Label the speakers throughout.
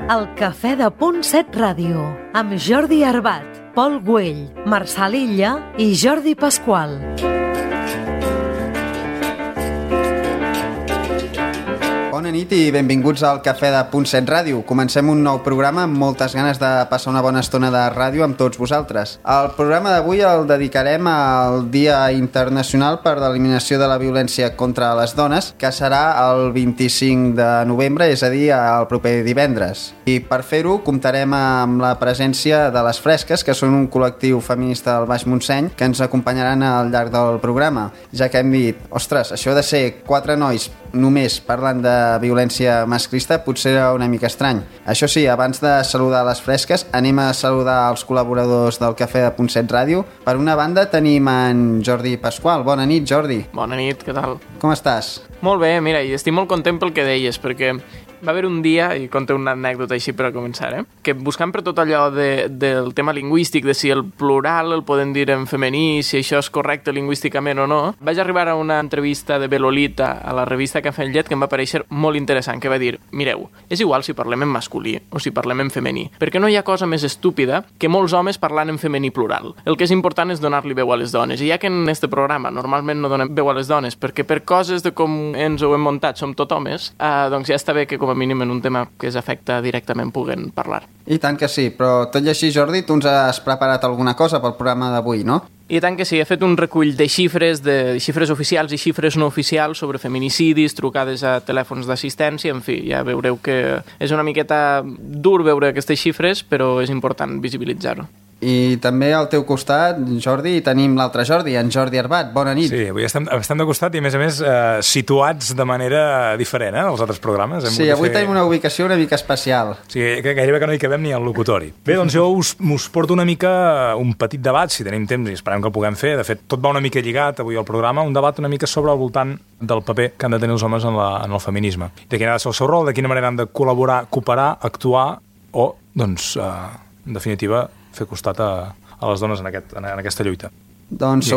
Speaker 1: El Cafè de Punt 7 Ràdio, amb Jordi Arbat, Pol Güell, Marçal Illa i Jordi Pasqual.
Speaker 2: Bona nit i benvinguts al Cafè de Punt 7 Ràdio. Comencem un nou programa amb moltes ganes de passar una bona estona de ràdio amb tots vosaltres. El programa d'avui el dedicarem al Dia Internacional per l'Eliminació de la Violència contra les Dones, que serà el 25 de novembre, és a dir, el proper divendres. I per fer-ho comptarem amb la presència de les Fresques, que són un col·lectiu feminista del Baix Montseny, que ens acompanyaran al llarg del programa, ja que hem dit, ostres, això de ser 4 nois només parlant de violència masclista potser era una mica estrany. Això sí, abans de saludar les Fresques, anem a saludar els col·laboradors del Cafè de Punt 7 Ràdio. Per una banda tenim en Jordi Pasqual. Bona nit, Jordi.
Speaker 3: Bona nit, què tal?
Speaker 2: Com estàs?
Speaker 3: Molt bé, mira, i estic molt content pel que deies, perquè va haver un dia, i conto una anècdota així per a començar, que buscant per tot allò del tema lingüístic, de si el plural el poden dir en femení, si això és correcte lingüísticament o no, vaig arribar a una entrevista de Belolita a la revista Cafè amb Llet que em va parèixer molt interessant, que va dir, mireu, és igual si parlem en masculí o si parlem en femení, perquè no hi ha cosa més estúpida que molts homes parlant en femení plural. El que és important és donar-li veu a les dones, i ja que en este programa normalment no donem veu a les dones, perquè per coses de com ens ho hem muntat som tot homes, doncs ja està bé que com a mínim en un tema que es afecta directament puguen parlar.
Speaker 2: I tant que sí, però tot i així, Jordi, tu ens has preparat alguna cosa pel programa d'avui, no?
Speaker 3: I tant que sí, he fet un recull de xifres oficials i xifres no oficials sobre feminicidis, trucades a telèfons d'assistència, en fi, ja veureu que és una miqueta dur veure aquestes xifres, però és important visibilitzar-ho.
Speaker 2: I també al teu costat, Jordi, tenim l'altre Jordi, en Jordi Arbat. Bona nit.
Speaker 4: Sí, avui estem de costat i, a més, situats de manera diferent, als altres programes.
Speaker 2: Sí, avui tenim una ubicació una mica especial.
Speaker 4: Sí, gairebé que no hi cabem ni al locutori. Bé, doncs jo us porto una mica un petit debat, si tenim temps, i esperem que el puguem fer. De fet, tot va una mica lligat avui al programa, un debat una mica sobre al voltant del paper que han de tenir els homes en el feminisme. De quin ha de ser el seu rol, de quina manera han de col·laborar, cooperar, actuar o, doncs, en definitiva, fer costat a les dones en aquesta lluita.
Speaker 2: Doncs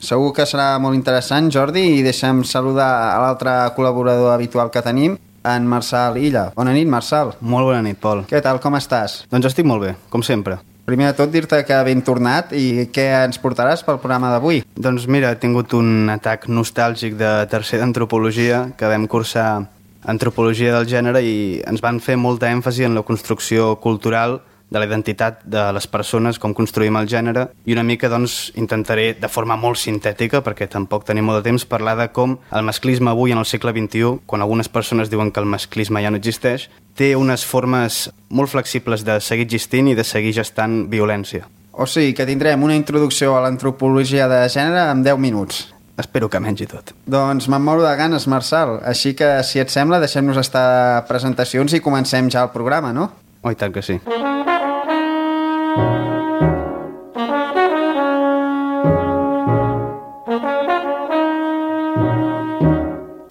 Speaker 2: segur que serà molt interessant, Jordi, i deixa'm saludar a l'altre col·laborador habitual que tenim, en Marçal Illa. Bona nit, Marçal.
Speaker 5: Molt bona nit, Pol.
Speaker 2: Què tal, com estàs?
Speaker 5: Doncs estic molt bé, com sempre.
Speaker 2: Primer de tot, dir-te que ben tornat i què ens portaràs pel programa d'avui?
Speaker 5: Doncs mira, he tingut un atac nostàlgic de tercer d'antropologia, que vam cursar antropologia del gènere i ens van fer molta èmfasi en la construcció cultural de la identitat de les persones, com construïm el gènere, i una mica doncs intentaré de forma molt sintètica, perquè tampoc tenim molt de temps, parlar de com el masclisme avui en el segle XXI, quan algunes persones diuen que el masclisme ja no existeix, té unes formes molt flexibles de seguir existint i de seguir gestant violència.
Speaker 2: O sigui que tindrem una introducció a l'antropologia de gènere en 10 minuts.
Speaker 5: Espero que menys i tot.
Speaker 2: Doncs me'n moro de ganes, Marçal. Així que, si et sembla, deixem-nos estar presentacions i comencem ja el programa, no?
Speaker 5: Oh, i tant que sí.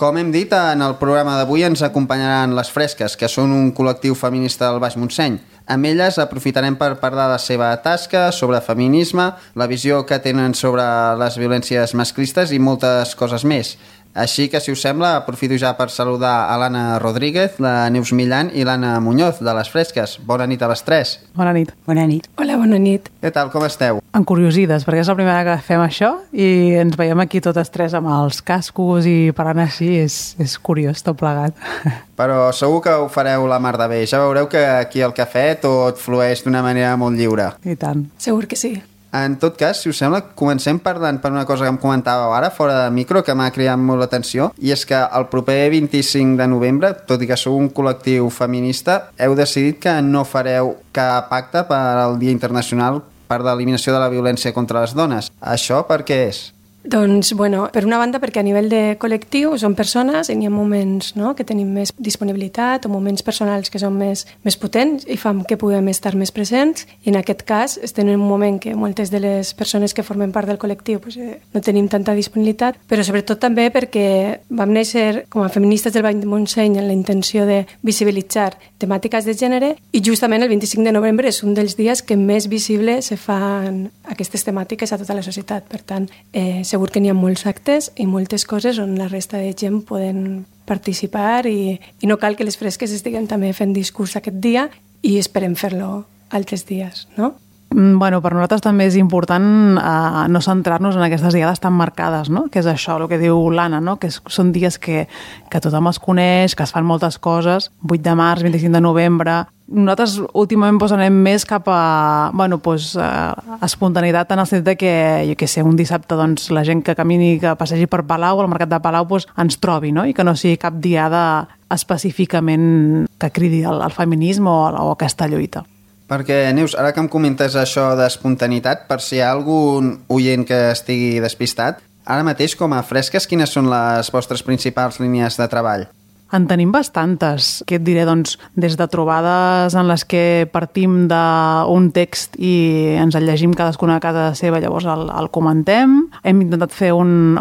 Speaker 2: Com hem dit, en el programa d'avui ens acompanyaran les Fresques, que són un col·lectiu feminista del Baix Montseny. Amb elles aprofitarem per parlar de la seva tasca, sobre feminisme, la visió que tenen sobre les violències masclistes i moltes coses més. Així que, si us sembla, aprofito ja per saludar a l'Anna Rodríguez, la Neus Millan i l'Anna Muñoz, de les Fresques. Bona nit a les tres.
Speaker 6: Bona nit.
Speaker 7: Bona nit.
Speaker 8: Hola, bona nit.
Speaker 2: Què tal, com esteu?
Speaker 6: Encuriosides, perquè és la primera que fem això i ens veiem aquí totes tres amb els cascos i parlant així, és curiós tot plegat.
Speaker 2: Però segur que ho fareu la mar de bé. Ja veureu que aquí al cafè tot flueix d'una manera molt lliure.
Speaker 6: I tant.
Speaker 8: Segur que sí.
Speaker 2: En tot cas, si us sembla, comencem parlant per una cosa que em comentàveu ara, fora de micro, que m'ha cridat molt l'atenció, i és que el proper 25 de novembre, tot i que sou un col·lectiu feminista, heu decidit que no fareu cap acte per al Dia Internacional per l'eliminació de la violència contra les dones. Això per què és?
Speaker 8: Doncs, bueno, per una banda perquè a nivell de col·lectiu som persones i n'hi ha moments, no?, que tenim més disponibilitat o moments personals que són més potents i fan que puguem estar més presents, i en aquest cas estem en un moment que moltes de les persones que formen part del col·lectiu no tenim tanta disponibilitat, però sobretot també perquè vam néixer com a feministes del Baix Montseny amb la intenció de visibilitzar temàtiques de gènere, i justament el 25 de novembre és un dels dies que més visible se fan aquestes temàtiques a tota la societat. Per tant, segur que n'hi ha molts actes i moltes coses on la resta de gent poden participar i no cal que les fresques estiguem també fent discurs aquest dia i esperem fer-lo altres dies, no?
Speaker 6: Bueno, per nosaltres també és important no centrar-nos en aquestes diades tan marcades, no? Que és això, el que diu l'Anna, no? Que són dies que tothom es coneix, que es fan moltes coses, 8 de març, 25 de novembre. Nosaltres últimament anem més cap a espontaneïtat en el sentit que, jo què sé, un dissabte doncs, la gent que camini, que passegi per Palau, al mercat de Palau, ens trobi, no? I que no sigui cap diada específicament que cridi al feminisme o aquesta lluita.
Speaker 2: Perquè, Neus, ara que em comentes això d'espontaneïtat, per si hi ha algun oient que estigui despistat, ara mateix, com a fresques, quines són les vostres principals línies de treball?
Speaker 6: En tenim bastantes. Què et diré? Doncs, des de trobades en les que partim d'un text i ens el llegim cadascuna a casa seva, llavors el comentem. Hem intentat fer un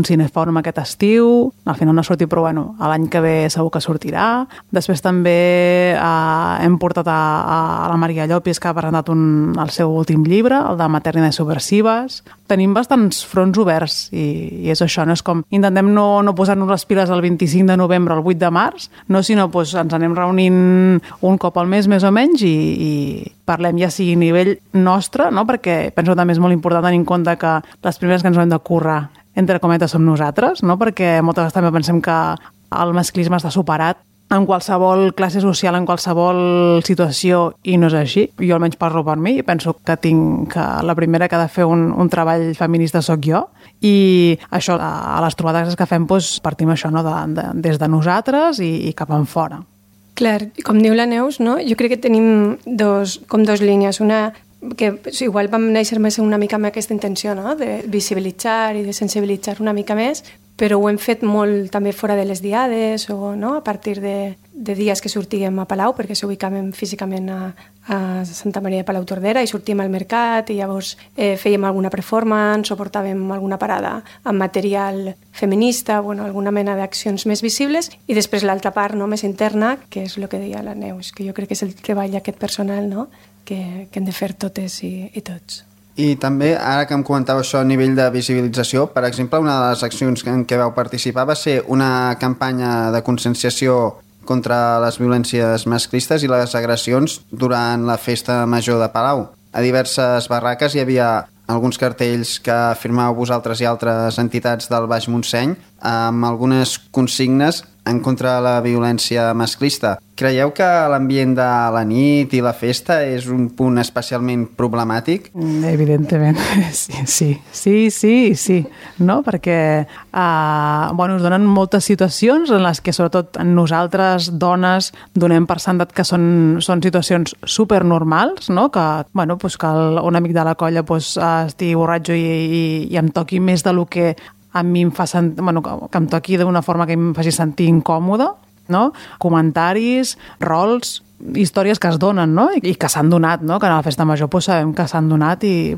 Speaker 6: cinefòrum aquest estiu. Al final no ha sortit, però bueno, l'any que ve segur que sortirà. Després també hem portat a la Maria Llopis, que ha presentat el seu últim llibre, el de Maternidades Subversives. Tenim bastants fronts oberts i és això, no? És com intentem no posar-nos les piles el 25 de novembre, el 8 de març, no, sinó ens anem reunint un cop al mes, més o menys, i parlem ja sigui a nivell nostre, no? Perquè penso també és molt important tenir en compte que les primeres que ens hem de currar, entre cometes, som nosaltres, no? Perquè moltes vegades també pensem que el masclisme està superat en qualsevol classe social, en qualsevol situació, i no és així. Jo almenys parlo per mi i penso que la primera que ha de fer un treball feminista sóc jo, i això, a les trobades que fem, partim això, no? Des de nosaltres i cap en fora.
Speaker 8: Clar, com diu la Neus, no? Jo crec que tenim dos línies. Una que igual vam néixer més una mica amb aquesta intenció, no? De visibilitzar i de sensibilitzar una mica més, però ho hem fet molt també fora de les diades o no? A partir de dies que sortíem a Palau, perquè s'ubicàvem físicament a Santa Maria de Palau Tordera i sortíem al mercat i llavors fèiem alguna performance o portàvem alguna parada amb material feminista, bueno, alguna mena d'accions més visibles, i després l'altra part, no? Més interna, que és el que deia la Neus, que jo crec que és el treball aquest personal, no? Que hem de fer totes i tots.
Speaker 2: I també, ara que em comentava això a nivell de visibilització, per exemple, una de les accions en què vau participar va ser una campanya de conscienciació contra les violències masclistes i les agressions durant la festa major de Palau. A diverses barraques hi havia alguns cartells que firmàveu vosaltres i altres entitats del Baix Montseny amb algunes consignes en contra de la violència masclista. Creieu que l'ambient de la nit i la festa és un punt especialment problemàtic?
Speaker 6: Evidentment, sí. No? Perquè es donen moltes situacions en les que, sobretot nosaltres, dones, donem per sentat que són situacions supernormals, no? Que un amic de la colla estigui borratxo i em toqui més del que a mi em fa que em toqui d'una forma que em faci sentir incòmode, no? Comentaris, rols, històries que es donen, no? I que s'han donat, no? Que a la festa major sabem que s'han donat i,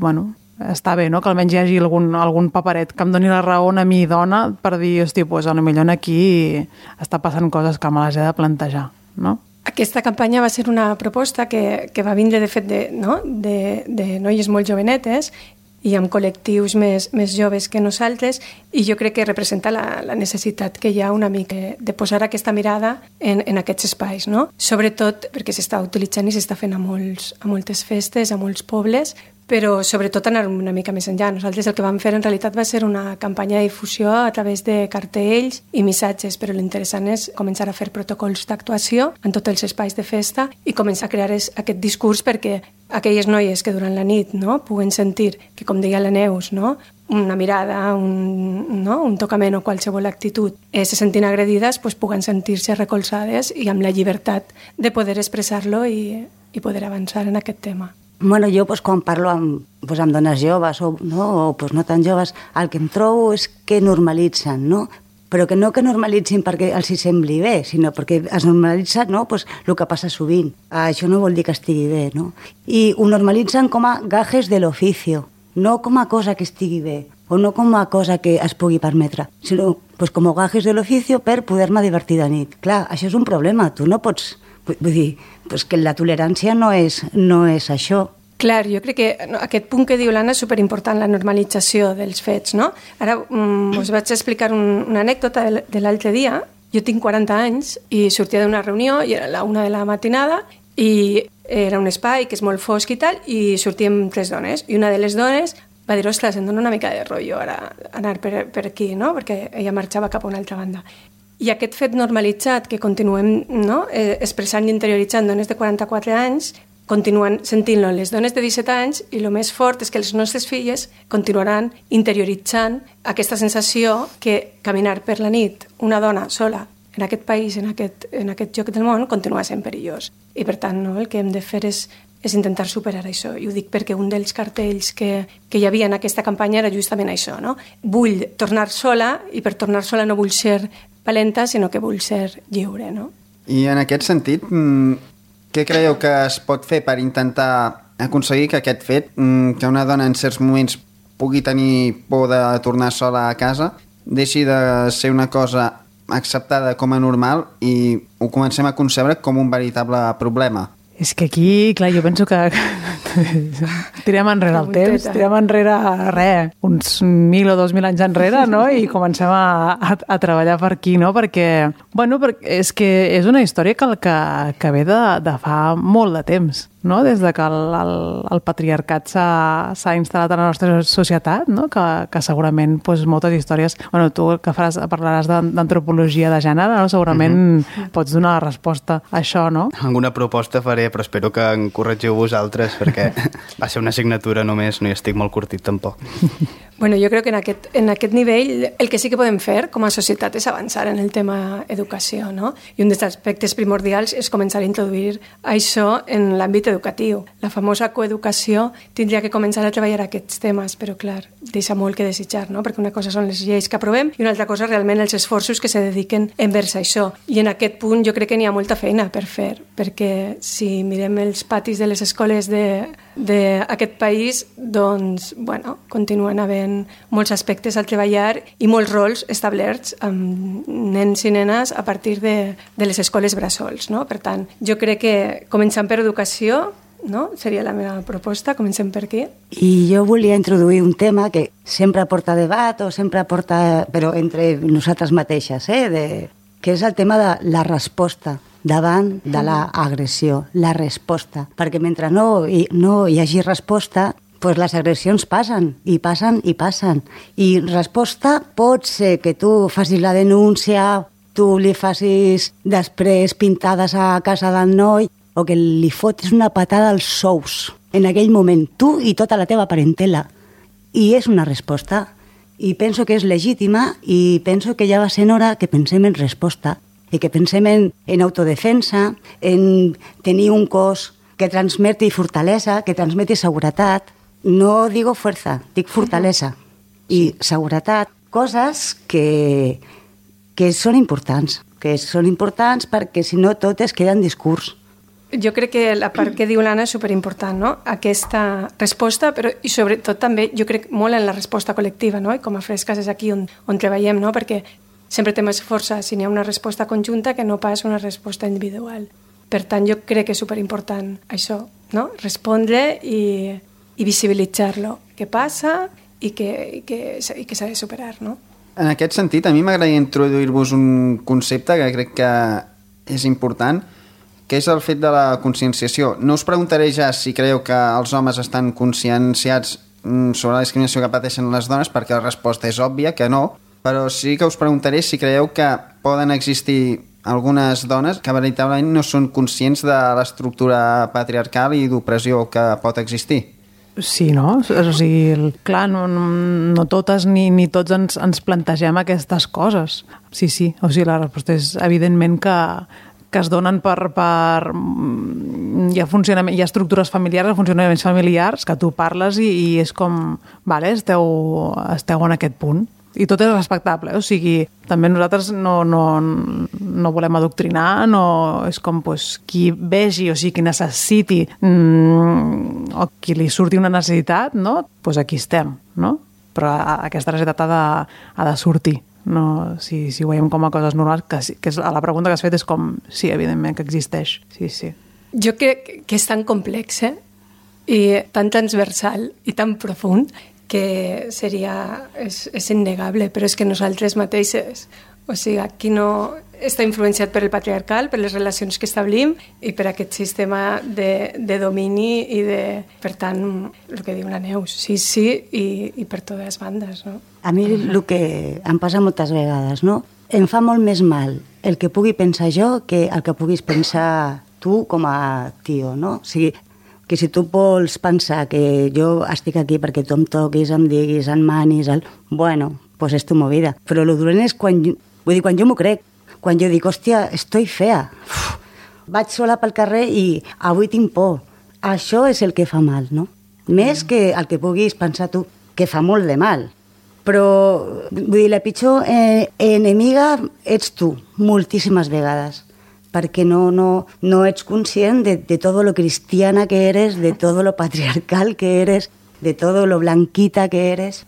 Speaker 6: està bé, no? Que almenys hi hagi algun paperet que em doni la raó a mi, dona, per dir, hosti, potser aquí està passant coses que me les he de plantejar, no?
Speaker 8: Aquesta campanya va ser una proposta que va vindre, de fet, de noies molt jovenetes i amb col·lectius més joves que nosaltres, i jo crec que representa la necessitat que hi ha una mica de posar aquesta mirada en aquests espais, no? Sobretot perquè s'està utilitzant i s'està fent a moltes festes, a molts pobles, però sobretot anar una mica més enllà. Nosaltres el que vam fer en realitat va ser una campanya de difusió a través de cartells i missatges, però l'interessant és començar a fer protocols d'actuació en tots els espais de festa i començar a crear aquest discurs perquè aquelles noies que durant la nit, no, puguen sentir que, com deia la Neus, no, una mirada, un tocament o qualsevol actitud, se sentin agredides, puguen sentir-se recolzades i amb la llibertat de poder expressar-lo i poder avançar en aquest tema.
Speaker 7: Bueno, jo quan parlo amb dones joves o no tan joves, el que em trobo és que normalitzen, no? Però que no que normalitzin perquè els hi sembli bé, sinó perquè es normalitza el que passa sovint. Això no vol dir que estigui bé, no? I ho normalitzen com a gajes de l'oficio, no com a cosa que estigui bé, o no com a cosa que es pugui permetre, sinó com a gajes de l'oficio per poder-me divertir de nit. Clar, això és un problema, tu no pots... Vull dir, que la tolerància no és això.
Speaker 8: Clar, jo crec que aquest punt que diu l'Anna és superimportant, la normalització dels fets, no? Ara us vaig explicar una anècdota de l'altre dia Jo tinc 40 anys i sortia d'una reunió i era la 1 de la matinada i era un espai que és molt fosc i tal, i sortíem 3 dones. I una de les dones va dir, ostres, em dona una mica de rotllo ara anar per aquí, no? Perquè ella marxava cap a una altra banda. I aquest fet normalitzat que continuem, no? Expressant i interioritzant dones de 44 anys, continuen sentint-lo les dones de 17 anys, i el més fort és que les nostres filles continuaran interioritzant aquesta sensació que caminar per la nit una dona sola en aquest país, en aquest lloc del món, continua sent perillós. I per tant, no, el que hem de fer és intentar superar això. I ho dic perquè un dels cartells que hi havia en aquesta campanya era justament això, no? Vull tornar sola, i per tornar sola no vull ser valenta, sinó que vull ser lliure, no?
Speaker 2: I en aquest sentit, què creieu que es pot fer per intentar aconseguir que aquest fet, que una dona en certs moments pugui tenir por de tornar sola a casa, deixi de ser una cosa acceptada com a normal i ho comencem a concebre com un veritable problema?
Speaker 6: És que aquí, clar, jo penso que tirem enrere el temps, tirem enrere uns 1.000 o 2.000 anys enrere, no? I comencem a treballar per aquí, no? Perquè, bueno, és que és una història que ve de fa molt de temps, no? Des de que el patriarcat s'ha instal·lat a la nostra societat, no? Que segurament doncs, moltes històries... Bueno, tu que parlaràs d'antropologia de gènere, no? Segurament pots donar la resposta a això, no?
Speaker 5: Alguna proposta faré, però espero que em corregiu vosaltres, perquè va ser una assignatura només, no hi estic molt curtit tampoc.
Speaker 8: Bueno, jo crec que en aquest nivell el que sí que podem fer com a societat és avançar en el tema educació, no? I un dels aspectes primordials és començar a introduir això en l'àmbit educatiu. La famosa coeducació tindria que començar a treballar aquests temes, però clar, deixa molt que desitjar, no? Perquè una cosa són les lleis que aprovem i una altra cosa realment els esforços que se dediquen envers això. I en aquest punt jo crec que n'hi ha molta feina per fer, perquè si mirem els patis de les escoles d'aquest país, doncs, bueno, continuen havent molts aspectes al treballar i molts rols establerts amb nens i nenes a partir de les escoles bressols, no? Per tant, jo crec que començant per educació, no? Seria la meva proposta, comencem per aquí.
Speaker 7: I jo volia introduir un tema que sempre porta debat o sempre porta, però entre nosaltres mateixes, que és el tema de la resposta davant de l'agressió, la resposta. Perquè mentre no hi hagi resposta, pues les agressions passen, i passen, i passen. I resposta pot ser que tu facis la denúncia, tu li facis després pintades a casa del noi, o que li fotis una patada als sous en aquell moment, tu i tota la teva parentela. I és una resposta. I penso que és legítima i penso que ja va sent hora que pensem en resposta i que pensem en autodefensa, en tenir un cos que transmeti fortalesa, que transmeti seguretat. No digo fuerza, dic fortalesa i seguretat. Coses que són importants, perquè si no tot es queda en discurs.
Speaker 8: Jo crec que la part que diu l'Anna és superimportant, no? Aquesta resposta, però i sobretot també jo crec molt en la resposta col·lectiva, no? I com a Fresques és aquí on treballem, no? Perquè sempre té més força si n'hi ha una resposta conjunta que no pas una resposta individual. Per tant, jo crec que és superimportant això, no? Respondre i visibilitzar-lo, què passa i que s'ha de superar, no?
Speaker 2: En aquest sentit, a mi m'agradaria introduir-vos un concepte que crec que és important, que és el fet de la conscienciació. No us preguntaré ja si creieu que els homes estan conscienciats sobre la discriminació que pateixen les dones, perquè la resposta és òbvia, que no, però sí que us preguntaré si creieu que poden existir algunes dones que veritablement no són conscients de l'estructura patriarcal i d'opressió que pot existir.
Speaker 6: Sí, no? O sigui, clar, no totes ni tots ens plantegem aquestes coses. Sí. O sigui, la resposta és evidentment que es donen per hi ha estructures familiars, funcionaments familiars, que tu parles i és com, vale, esteu en aquest punt. I tot és respectable, o sigui, també nosaltres no volem adoctrinar, és com qui vegi, o sigui, qui necessiti o qui li surti una necessitat, no? Doncs aquí estem, no? Però aquesta necessitat ha de sortir. No, si ho veiem com a coses normals, que és la pregunta que has fet és com, sí, evidentment que existeix, sí.
Speaker 8: Jo crec que és tan complex, i tan transversal i tan profund que és innegable, però és que nosaltres mateixes, o sigui, aquí no està influenciat per el patriarcal, per les relacions que establim i per aquest sistema de domini i de, per tant, el que diu la Neus, sí i per totes les bandes, no?
Speaker 7: A mi el que em passa moltes vegades, no? Em fa molt més mal el que pugui pensar jo que el que puguis pensar tu com a tio, no? O sigui, que si tu vols pensar que jo estic aquí perquè tu em toquis, em diguis, em manis, bueno, pues és tu movida. Però el dolent és quan jo m'ho crec, quan jo dic, hòstia, estoy fea, vaig sola pel carrer i avui tinc por. Això és el que fa mal, no? Més que el que puguis pensar tu, que fa molt de mal. Però, vull dir, la pitjor enemiga ets tu, moltíssimes vegades, perquè no ets conscient de tot lo cristiana que eres, de tot lo patriarcal que eres, de tot lo blanquita que eres.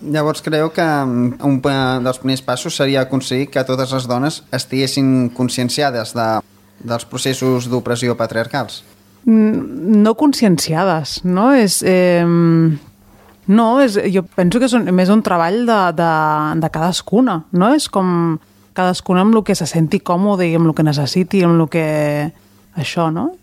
Speaker 2: Llavors creu que un dels primers passos seria aconseguir que totes les dones estiguessin conscienciades dels processos d'opressió patriarcals?
Speaker 6: No conscienciades, no? Jo penso que és més un treball de cadascuna, no? És com cadascuna amb el que se senti còmode i amb el que necessiti, amb el que... això, no?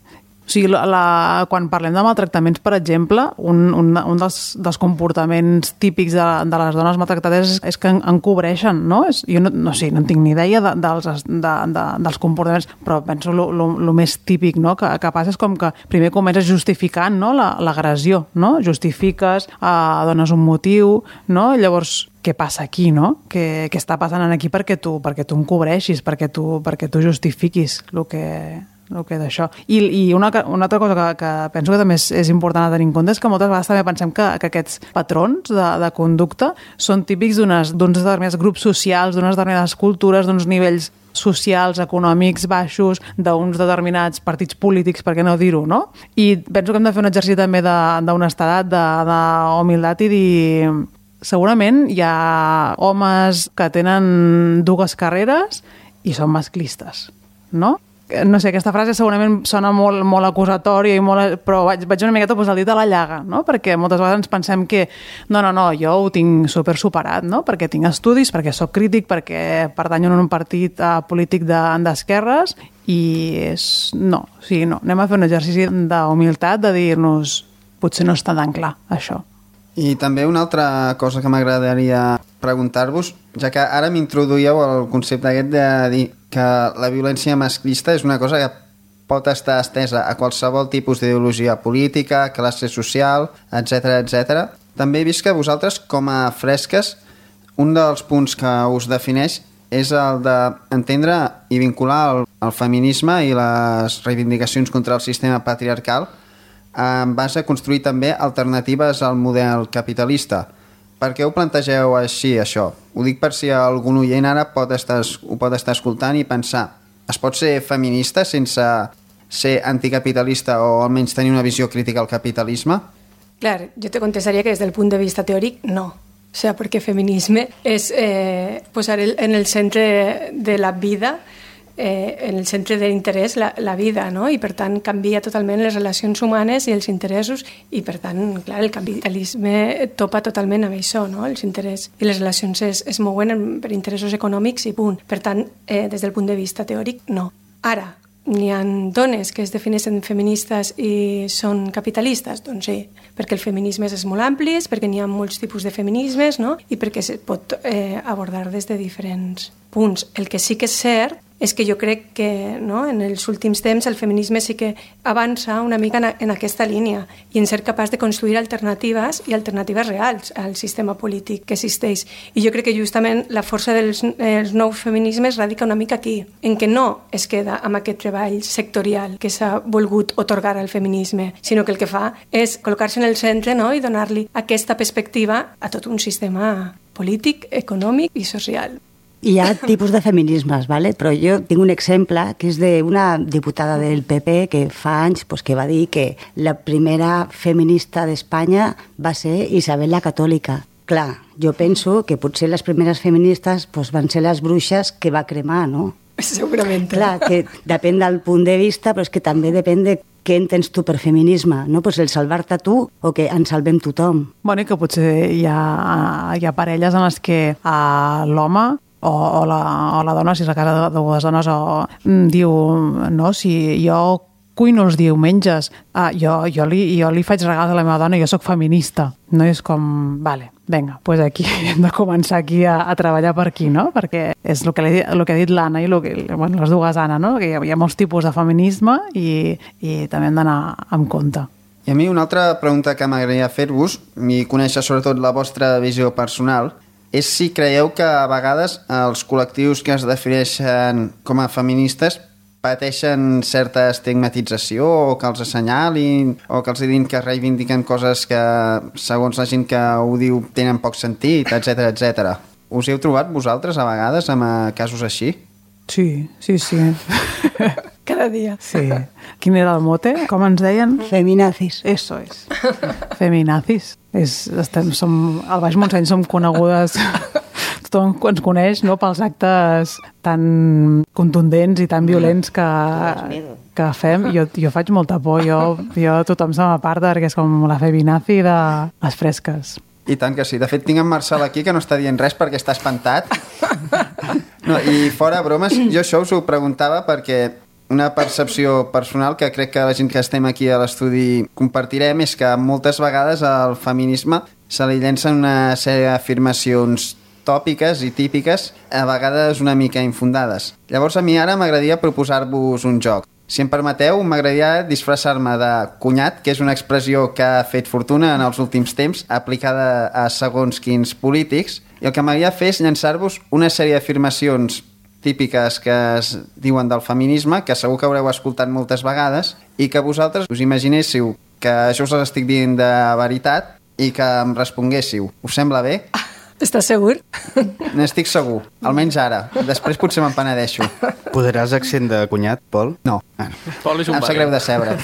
Speaker 6: O sigui, quan parlem de maltractaments, per exemple, un dels comportaments típics de les dones maltractades és que encobreixen, no? Jo no en tinc ni idea dels comportaments, però penso el més típic, no? Que passa és com que primer comences justificant, no? L'agressió, no? Justifiques, dones un motiu, no? Llavors, què passa aquí, no? Què està passant aquí perquè tu encobreixis, perquè tu justifiquis el que d'això. I una altra cosa que penso que també és important a tenir en compte és que moltes vegades també pensem que aquests patrons de conducta són típics d'uns determinats grups socials, d'unes determinades cultures, d'uns nivells socials, econòmics baixos, d'uns determinats partits polítics, per què no dir-ho, no? I penso que hem de fer un exercici també d'honestedat, d'humilitat i dir... Segurament hi ha homes que tenen dues carreres i són masclistes, no? No sé, aquesta frase segurament sona molt acusatòria, però vaig una miqueta posar el dit a la llaga, no? Perquè moltes vegades ens pensem que no, jo ho tinc superat, no? Perquè tinc estudis, perquè sóc crític, perquè pertanyo a un partit polític d'esquerres i no. Anem a fer un exercici d'humilitat, de dir-nos potser no està tan clar, això.
Speaker 2: I també una altra cosa que m'agradaria preguntar-vos, ja que ara m'introduïeu el concepte aquest de dir que la violència masclista és una cosa que pot estar estesa a qualsevol tipus d'ideologia política, classe social, etc. També he vist que vosaltres, com a fresques, un dels punts que us defineix és el d'entendre i vincular el feminisme i les reivindicacions contra el sistema patriarcal en base a construir també alternatives al model capitalista. Per què ho plantegeu així, això? Ho dic per si algun oient ara ho pot estar escoltant i pensar, es pot ser feminista sense ser anticapitalista o almenys tenir una visió crítica al capitalisme?
Speaker 8: Clar, yo te contestaría que desde el punto de vista teórico, no. O sea, porque feminisme es posar en el centre de la vida, en el centre de l'interès la vida, no? I per tant canvia totalment les relacions humanes i els interessos i per tant, clar, el capitalisme topa totalment amb això, no? Els interessos i les relacions es mouen per interessos econòmics i punt. Per tant, des del punt de vista teòric, no. Ara, n'hi ha dones que es defineixen feministes i són capitalistes? Doncs sí, perquè el feminisme és molt ampli, perquè n'hi ha molts tipus de feminismes, no? I perquè es pot abordar des de diferents punts. El que sí que és cert és que jo crec que en els últims temps el feminisme sí que avança una mica en aquesta línia i en ser capaç de construir alternatives i alternatives reals al sistema polític que existeix. I jo crec que justament la força dels nous feminismes radica una mica aquí, en què no es queda amb aquest treball sectorial que s'ha volgut otorgar al feminisme, sinó que el que fa és col·locar-se en el centre, i donar-li aquesta perspectiva a tot un sistema polític, econòmic i social.
Speaker 7: Hi ha tipus de feminismes, ¿vale? Però jo tinc un exemple que és d'una diputada del PP que fa anys que va dir que la primera feminista d'Espanya va ser Isabel la Catòlica. Clar, jo penso que potser les primeres feministes van ser les bruixes que va cremar, no?
Speaker 8: Segurament.
Speaker 7: Clar, que depèn del punt de vista, però és que també depèn de què entens tu per feminisme, no? El salvar-te tu o que ens salvem tothom.
Speaker 6: Bueno, i que potser hi ha parelles en les que l'home o la dona, si és la casa de dues dones, diu, no, si jo cuino els diumenges, jo li faig regals a la meva dona, jo sóc feminista, no? És com, vale, vinga, doncs aquí hem de començar aquí a treballar per aquí, no? Perquè és el que ha dit l'Anna i les dues Anna, no? Que hi ha molts tipus de feminisme i també hem d'anar amb compte.
Speaker 2: I a mi una altra pregunta que m'agradaria fer-vos, i conèixer sobretot la vostra visió personal, és si creieu que a vegades els col·lectius que es defineixen com a feministes pateixen certa estigmatització o que els assenyalin o que els diguin que reivindiquen coses que, segons la gent que ho diu, tenen poc sentit, etc. Us hi heu trobat vosaltres a vegades amb casos així?
Speaker 6: Sí.
Speaker 8: Cada dia.
Speaker 6: Sí. Quin era el mote? Com ens deien?
Speaker 7: Feminazis.
Speaker 6: Eso es. Feminazis. Al Baix Montseny som conegudes, tothom ens coneix, no?, pels actes tan contundents i tan violents que fem. Jo faig molta por, jo tothom se m'aparta perquè és com la feminazi de les fresques.
Speaker 2: I tant que sí. De fet, tinc en Marcel aquí que no està dient res perquè està espantat. No, i fora bromes, jo això us ho preguntava perquè una percepció personal que crec que la gent que estem aquí a l'estudi compartirem és que moltes vegades al feminisme se li llencen una sèrie d'afirmacions tòpiques i típiques, a vegades una mica infundades. Llavors a mi ara m'agradaria proposar-vos un joc. Si em permeteu, m'agradaria disfressar-me de cunyat, que és una expressió que ha fet fortuna en els últims temps, aplicada a segons quins polítics, i el que m'agradaria fer és llançar-vos una sèrie d'afirmacions típiques que es diuen del feminisme, que segur que haureu escoltat moltes vegades, i que vosaltres us imaginéssiu que això us les estic dient de veritat i que em responguéssiu. Us sembla bé?
Speaker 8: Estàs segur?
Speaker 2: N'estic segur, almenys ara. Després potser me'n penedeixo.
Speaker 5: Posaràs accent de cunyat, Pol?
Speaker 2: No.
Speaker 3: Pol és un
Speaker 2: em sap greu de cebre.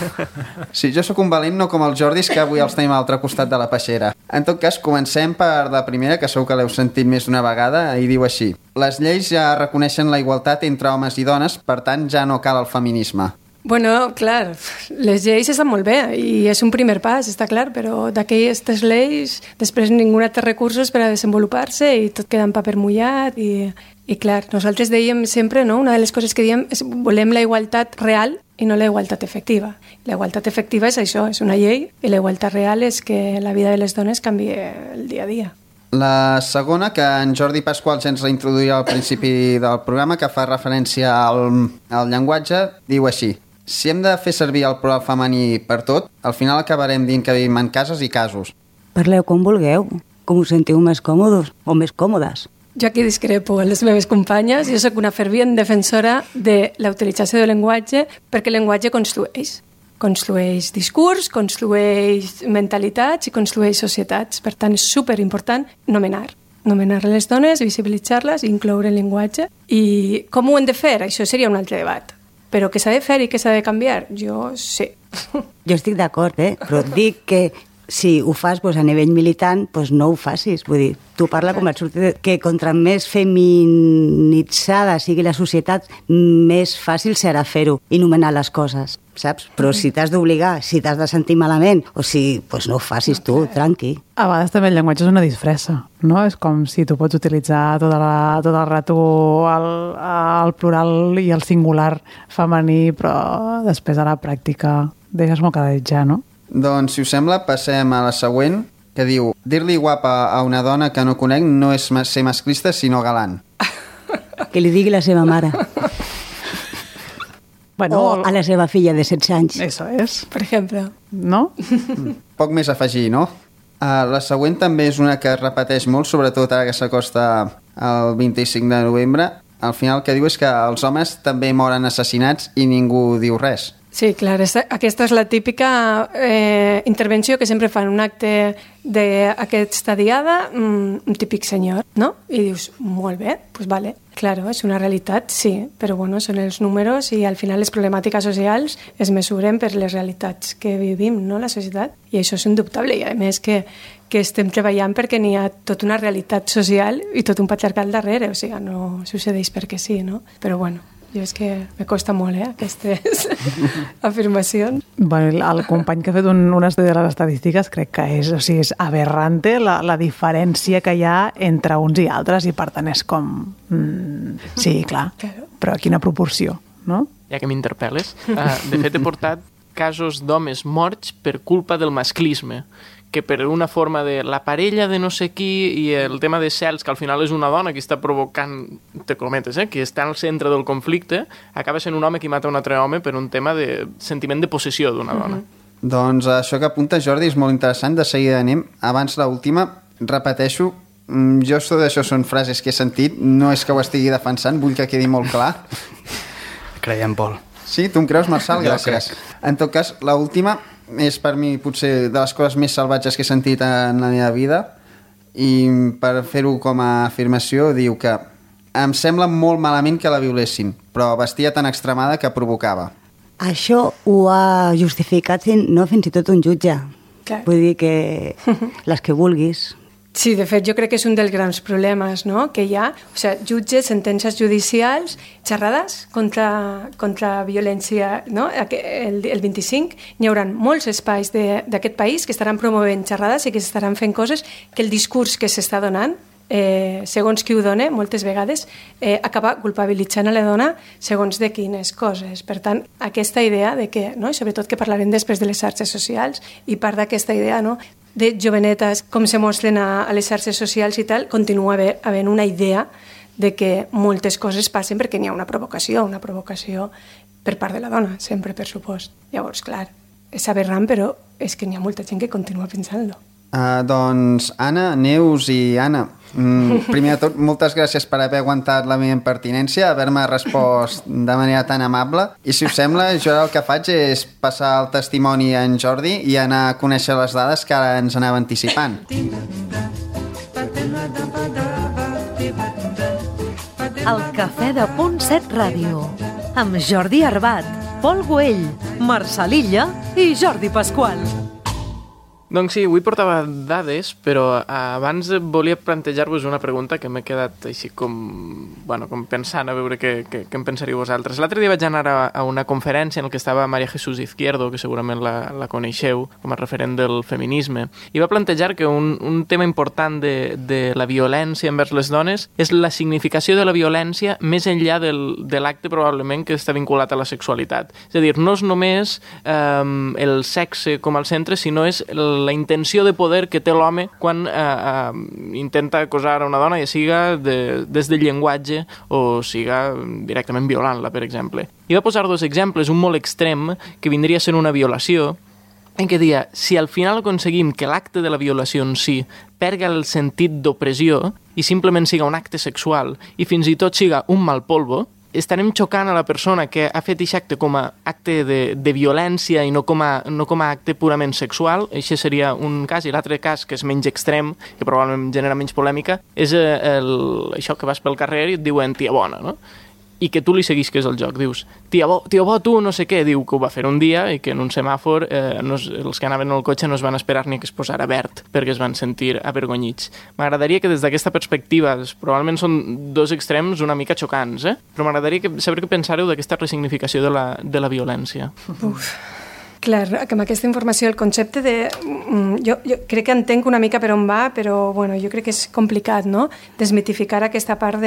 Speaker 2: Sí, jo sóc un valent, no com els Jordis, que avui els tenim a l'altre costat de la peixera. En tot cas, comencem per la primera, que segur que l'heu sentit més d'una vegada, i diu així: les lleis ja reconeixen la igualtat entre homes i dones, per tant ja no cal el feminisme.
Speaker 8: Bueno, clar, les lleis estan molt bé i és un primer pas, està clar, però d'aquestes lleis després ninguna té recursos per a desenvolupar-se i tot queda en paper mullat i clar, nosaltres dèiem sempre, no? Una de les coses que diem és volem la igualtat real i no la igualtat efectiva. La igualtat efectiva és això, és una llei, i la igualtat real és que la vida de les dones canvi el dia a dia.
Speaker 2: La segona, que en Jordi Pasqual ja ens la introduïa al principi del programa, que fa referència al llenguatge, diu així: si hem de fer servir el plural femení per tot, al final acabarem dient que vivim en cases i casos.
Speaker 7: Parleu com vulgueu, com us sentiu més còmodes o més còmodes.
Speaker 8: Jo aquí discrepo amb les meves companyes. Jo sóc una fervent defensora de la utilització del llenguatge perquè el llenguatge construeix. Construeix discurs, construeix mentalitats i construeix societats. Per tant, és superimportant nomenar les dones, visibilitzar-les i incloure el llenguatge. I com ho hem de fer? Això seria un altre debat. Però que s'ha de fer i que s'ha de canviar, jo sí.
Speaker 7: Jo estic d'acord, però dic que si ho fas a nivell militant, no ho facis. Vull dir, tu parla com et surti que contra més feminitzada sigui la societat, més fàcil serà fer-ho i nomenar les coses, saps? Però si t'has d'obligar, si t'has de sentir malament, o si, no ho facis tu, tranqui.
Speaker 6: A vegades també el llenguatge és una disfressa, no? És com si tu pots utilitzar tot el rato el plural i el singular femení, però després a la pràctica deixes molt que desitjar, no?
Speaker 2: Doncs, si us sembla, passem a la següent, que diu: dir-li guapa a una dona que no conec no és ser masclista, sinó galant.
Speaker 7: Que li digui la seva mare.
Speaker 6: Bueno,
Speaker 7: o a la seva filla de 16 anys.
Speaker 6: Eso es.
Speaker 8: Per exemple.
Speaker 6: No?
Speaker 2: Poc més a afegir, no? La següent també és una que es repeteix molt, sobretot ara que s'acosta el 25 de novembre. Al final el que diu és que els homes també moren assassinats i ningú diu res.
Speaker 8: Sí, clar, aquesta és la típica intervenció que sempre fan un acte d'aquesta diada, un típic senyor, no? I dius, molt bé, doncs vale. Claro, és una realitat, sí, però bueno, són els números i al final les problemàtiques socials es mesuren per les realitats que vivim, no?, la societat, i això és indubtable, i a més que estem treballant perquè n'hi ha tota una realitat social i tot un patriarcat darrere, o sigui, no succeeix perquè sí, no? Però bueno, Jo és que me costa molt, aquestes afirmacions.
Speaker 6: Bueno, el company que ha fet un estudi de les estadístiques crec que és aberrante la diferència que hi ha entre uns i altres, i per tant és com... sí, clar, però a quina proporció, no?
Speaker 3: Ja que m'interpel·les, de fet he portat casos d'homes morts per culpa del masclisme, que per una forma de la parella de no sé qui i el tema de cels, que al final és una dona que està provocant, te cometes, que està al centre del conflicte, acaba sent un home que mata un altre home per un tema de sentiment de possessió d'una dona.
Speaker 2: Doncs això que apunta Jordi és molt interessant, de seguida anem. Abans l'última, repeteixo, jo d'això són frases que he sentit, no és que ho estigui defensant, vull que quedi molt clar.
Speaker 5: Creiem, Pol.
Speaker 2: Sí, tu em creus, Marçal? Gràcies. En tot cas, l'última és per mi potser de les coses més salvatges que he sentit en la meva vida, i per fer-ho com a afirmació diu que em sembla molt malament que la violessin, però vestia tan extremada que provocava.
Speaker 7: Això ho ha justificat fins i tot un jutge.
Speaker 8: Clar.
Speaker 7: Vull dir que les que vulguis.
Speaker 8: Sí, de fet, jo crec que és un dels grans problemes, no?, que hi ha. O sigui, jutges, sentències judicials, xerrades contra violència, no? El 25 hi haurà molts espais d'aquest país que estaran promovent xerrades i que estaran fent coses que el discurs que s'està donant, segons qui ho dona, moltes vegades, acaba culpabilitzant a la dona segons de quines coses. Per tant, aquesta idea de que, no?, i sobretot que parlarem després de les xarxes socials, i part d'aquesta idea, no?, de jovenetes, com se mostren a les xarxes socials i tal, continua havent una idea de que moltes coses passen perquè n'hi ha una provocació per part de la dona, sempre, per supost. Llavors, clar, és aberrant, però és que n'hi ha molta gent que continua pensant-lo.
Speaker 2: Doncs Anna, Neus i Anna, primer de tot, moltes gràcies per haver aguantat la meva impertinència, haver-me respost de manera tan amable, i si us sembla, jo el que faig és passar el testimoni a en Jordi i anar a conèixer les dades que ara ens anava anticipant.
Speaker 1: El Cafè de Punt 7 Ràdio, amb Jordi Arbat, Pol Güell, Marçal Illa i Jordi Pasqual.
Speaker 3: Doncs sí, avui portava dades, però abans volia plantejar-vos una pregunta que m'he quedat així com pensant, a veure què en pensaríeu vosaltres. L'altre dia vaig anar a una conferència en què estava María Jesús Izquierdo, que segurament la coneixeu com a referent del feminisme, i va plantejar que un tema important de la violència envers les dones és la significació de la violència més enllà de l'acte probablement que està vinculat a la sexualitat. És a dir, no és només el sexe com al centre, sinó és la intenció de poder que té l'home quan intenta acosar a una dona, ja siga des del llenguatge o siga directament violant-la, per exemple. I va posar dos exemples, un molt extrem, que vindria a ser una violació, en què deia, si al final aconseguim que l'acte de la violació en si perga el sentit d'opressió i simplement siga un acte sexual i fins i tot siga un mal polvo, estarem xocant a la persona que ha fet aquest acte com a acte de violència i no com a acte purament sexual. Això seria un cas. I l'altre cas, que és menys extrem, que probablement genera menys polèmica, és això que vas pel carrer i et diuen tia bona, no? I que tu li seguisques el joc. Dius, tia bo, tu no sé què. Diu que ho va fer un dia i que en un semàfor els que anaven al cotxe no es van esperar ni que es posara verd perquè es van sentir avergonyits. M'agradaria que des d'aquesta perspectiva, probablement són dos extrems una mica xocants, però m'agradaria saber què pensareu d'aquesta resignificació de la violència.
Speaker 8: Uf. Clar, que amb aquesta informació el concepte de... Jo crec que entenc una mica per on va, però bueno, jo crec que és complicat, no?, desmitificar aquesta part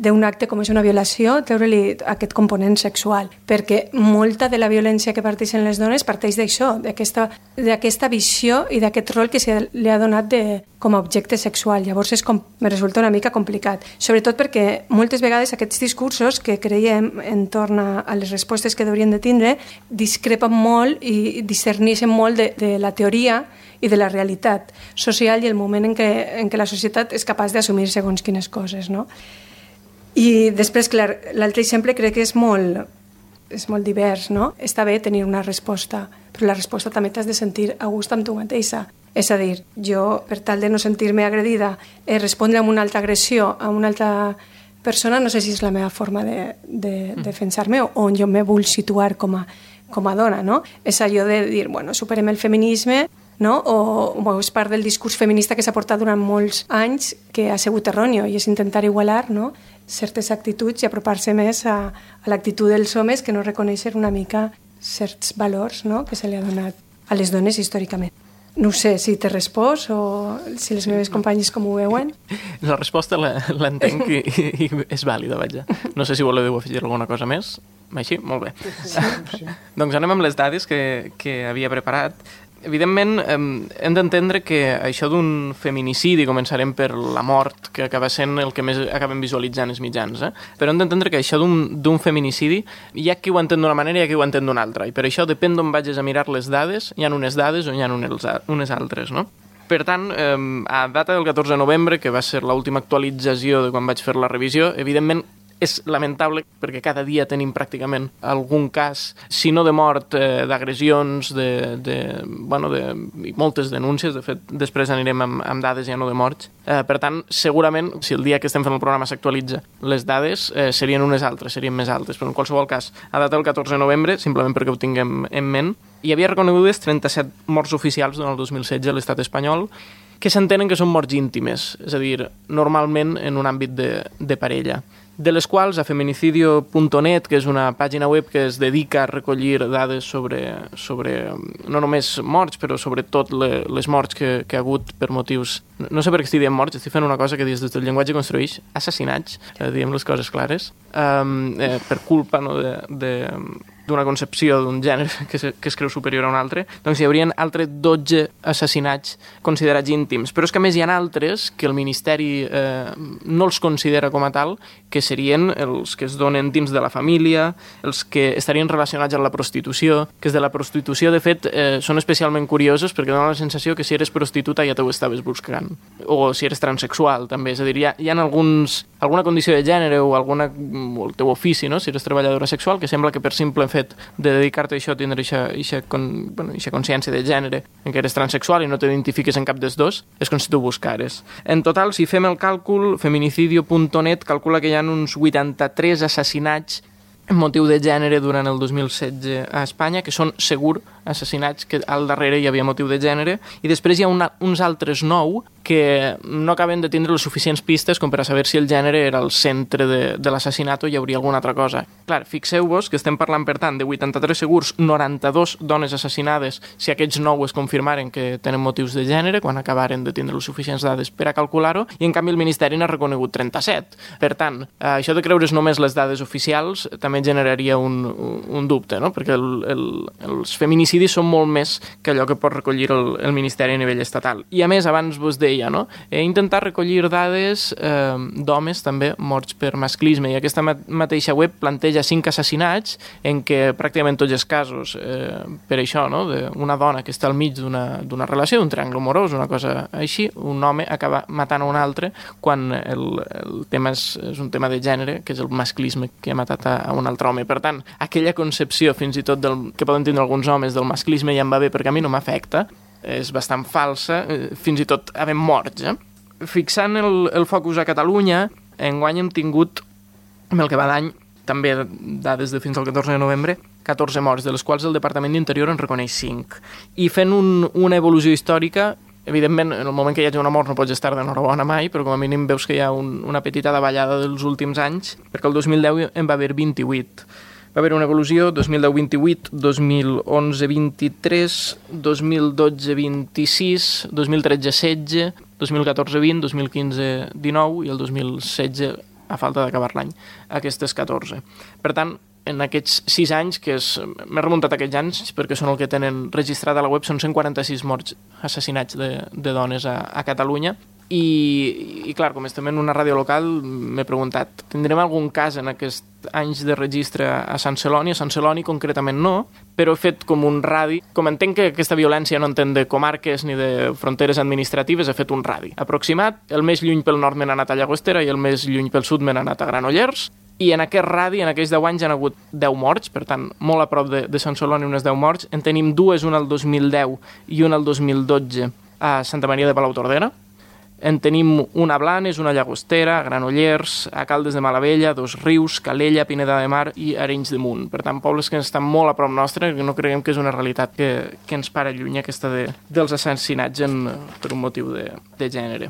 Speaker 8: d'un acte com és una violació, treure-li aquest component sexual, perquè molta de la violència que parteixen les dones parteix d'això, d'aquesta visió i d'aquest rol que se li ha donat com a objecte sexual. Llavors me resulta una mica complicat, sobretot perquè moltes vegades aquests discursos que creiem entorn a les respostes que haurien de tindre discrepen molt i discerneixen molt de la teoria i de la realitat social i el moment en què la societat és capaç d'assumir segons quines coses, no? I després, clar, l'altre exemple crec que és molt divers, no? Està bé tenir una resposta, però la resposta també t'has de sentir a gust amb tu mateixa. És a dir, jo, per tal de no sentir-me agredida, respondre amb una altra agressió a una altra persona, no sé si és la meva forma de defensar-me o on jo me vull situar com a dona, no? És allò de dir, bueno, superem el feminisme, no? O és part del discurs feminista que s'ha portat durant molts anys que ha sigut erròneo i és intentar igualar, no?, certes actituds i apropar-se més a l'actitud dels homes que no reconeixen una mica certs valors, no?, que se li ha donat a les dones històricament. No sé si t'he respost o si les meves companyes com ho veuen.
Speaker 3: La resposta l'entenc i és vàlida, vaja. No sé si voleu afegir alguna cosa més. Així? Molt bé. Sí. Doncs anem amb les dades que havia preparat. Evidentment, hem d'entendre que això d'un feminicidi, començarem per la mort, que acaba sent el que més acabem visualitzant els mitjans, però hem d'entendre que això d'un feminicidi hi ha qui ho entén d'una manera i hi ha qui ho entén d'una altra, i per això depèn d'on vagis a mirar les dades, hi ha unes dades o hi ha unes altres, no? Per tant, a data del 14 de novembre, que va ser l'última actualització de quan vaig fer la revisió, evidentment és lamentable perquè cada dia tenim pràcticament algun cas, si no de mort, d'agressions, i moltes denúncies. De fet, després anirem amb dades ja no de morts. Per tant, segurament, si el dia que estem fent el programa s'actualitza, les dades serien unes altres, serien més altes. Però en qualsevol cas, a data del 14 de novembre, simplement perquè ho tinguem en ment, hi havia reconegudes 37 morts oficials durant el 2016 a l'estat espanyol, que s'entenen que són morts íntimes, és a dir, normalment en un àmbit de parella, de les quals a feminicidio.net, que és una pàgina web que es dedica a recollir dades sobre no només morts, però sobretot les morts que ha hagut per motius... No sé per què estic dient morts, estic fent una cosa que des del llenguatge construeix, assassinats, diem les coses clares, per culpa d'una concepció d'un gènere que es creu superior a un altre, doncs hi haurien altres 12 assassinats considerats íntims. Però és que a més hi ha altres que el Ministeri no els considera com a tal, que serien els que es donen dins de la família, els que estarien relacionats amb la prostitució, que és de la prostitució, de fet, són especialment curiosos perquè donen la sensació que si eres prostituta ja t'ho estaves buscant, o si eres transexual, també. És a dir, hi ha alguna condició de gènere o el teu ofici, no?, si eres treballadora sexual, que sembla que per simple fet de dedicar-te a això, tindre aquesta consciència de gènere en què eres transexual i no t'identifiques en cap dels dos, és com si tu buscares. En total, si fem el càlcul, feminicidio.net calcula que hi ha uns 83 assassinats en motiu de gènere durant el 2016 a Espanya, que són segur assassinats que al darrere hi havia motiu de gènere, i després hi ha uns altres 9 que no acaben de tindre les suficients pistes com per a saber si el gènere era el centre de l'assassinat o hi hauria alguna altra cosa. Clar, fixeu-vos que estem parlant, per tant, de 83 segurs, 92 dones assassinades, si aquests 9 es confirmaren que tenen motius de gènere, quan acabaren de tindre les suficients dades per a calcular-ho, i en canvi el Ministeri n'ha reconegut 37. Per tant, això de creure's només les dades oficials també generaria un dubte, no?, perquè els feminicidis són molt més que allò que pot recollir el Ministeri a nivell estatal. I a més, abans vos deia, no?, he intentat recollir dades d'homes també morts per masclisme, i aquesta mateixa web planteja 5 assassinats en què pràcticament tots els casos, per això, no?, d'una dona que està al mig d'una relació, d'un triangle amorós, una cosa així, un home acaba matant a un altre quan el tema és un tema de gènere, que és el masclisme que ha matat a un altre home. Per tant, aquella concepció fins i tot que poden tindre alguns homes del masclisme ja em va bé perquè a mi no m'afecta, és bastant falsa, fins i tot havent morts. Fixant el focus a Catalunya, enguany hem tingut, amb el que va d'any, també dades de fins al 14 de novembre, 14 morts, de les quals el Departament d'Interior en reconeix 5. I fent una evolució històrica, evidentment, en el moment que hi hagi una mort no pots estar d'enhorabona mai, però com a mínim veus que hi ha una petita davallada dels últims anys, perquè el 2010 en va haver 28. Va haver una evolució, 2010 28, 2011 23, 2012 26, 2013 16, 2014 20, 2015 19 i el 2016, a falta d'acabar l'any, aquestes 14. Per tant, en aquests 6 anys, que m'he remuntat a aquests anys, perquè són el que tenen registrat a la web, són 146 morts assassinats de dones a Catalunya. I clar, com estem en una ràdio local, m'he preguntat, tindrem algun cas en aquests anys de registre a Sant Celoni? A Sant Celoni concretament no, però he fet com un radi. Com entenc que aquesta violència no entén de comarques ni de fronteres administratives, he fet un radi aproximat. El més lluny pel nord me n'ha anat a Llagostera i el més lluny pel sud me n'ha anat a Granollers. I en aquest radi, en aquells 10 anys, han hagut 10 morts, per tant, molt a prop de Sant Celoni, unes 10 morts. En tenim 2, una al 2010 i una al 2012 a Santa Maria de Palautordera. En tenim una a Blanes, una a Llagostera, a Granollers, a Caldes de Malavella, Dosrius, Calella, Pineda de Mar i Arenys de Munt. Per tant, pobles que estan molt a prop nostre, que no creiem que és una realitat que ens para lluny, aquesta dels assassinats per un motiu de gènere.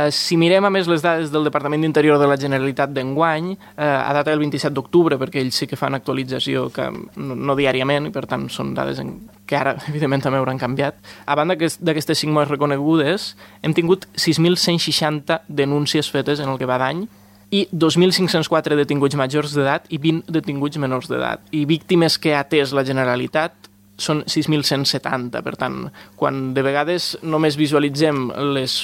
Speaker 3: Si mirem a més les dades del Departament d'Interior de la Generalitat d'enguany, a data del 27 d'octubre, perquè ells sí que fan actualització que no diàriament, i per tant són dades que ara, evidentment, també hauran canviat. A banda d'aquestes 5 morts reconegudes, hem tingut 6.160 denúncies fetes en el que va d'any, i 2.504 detinguts majors d'edat i 20 detinguts menors d'edat. I víctimes que ha atès la Generalitat són 6.170. Per tant, quan de vegades només visualitzem les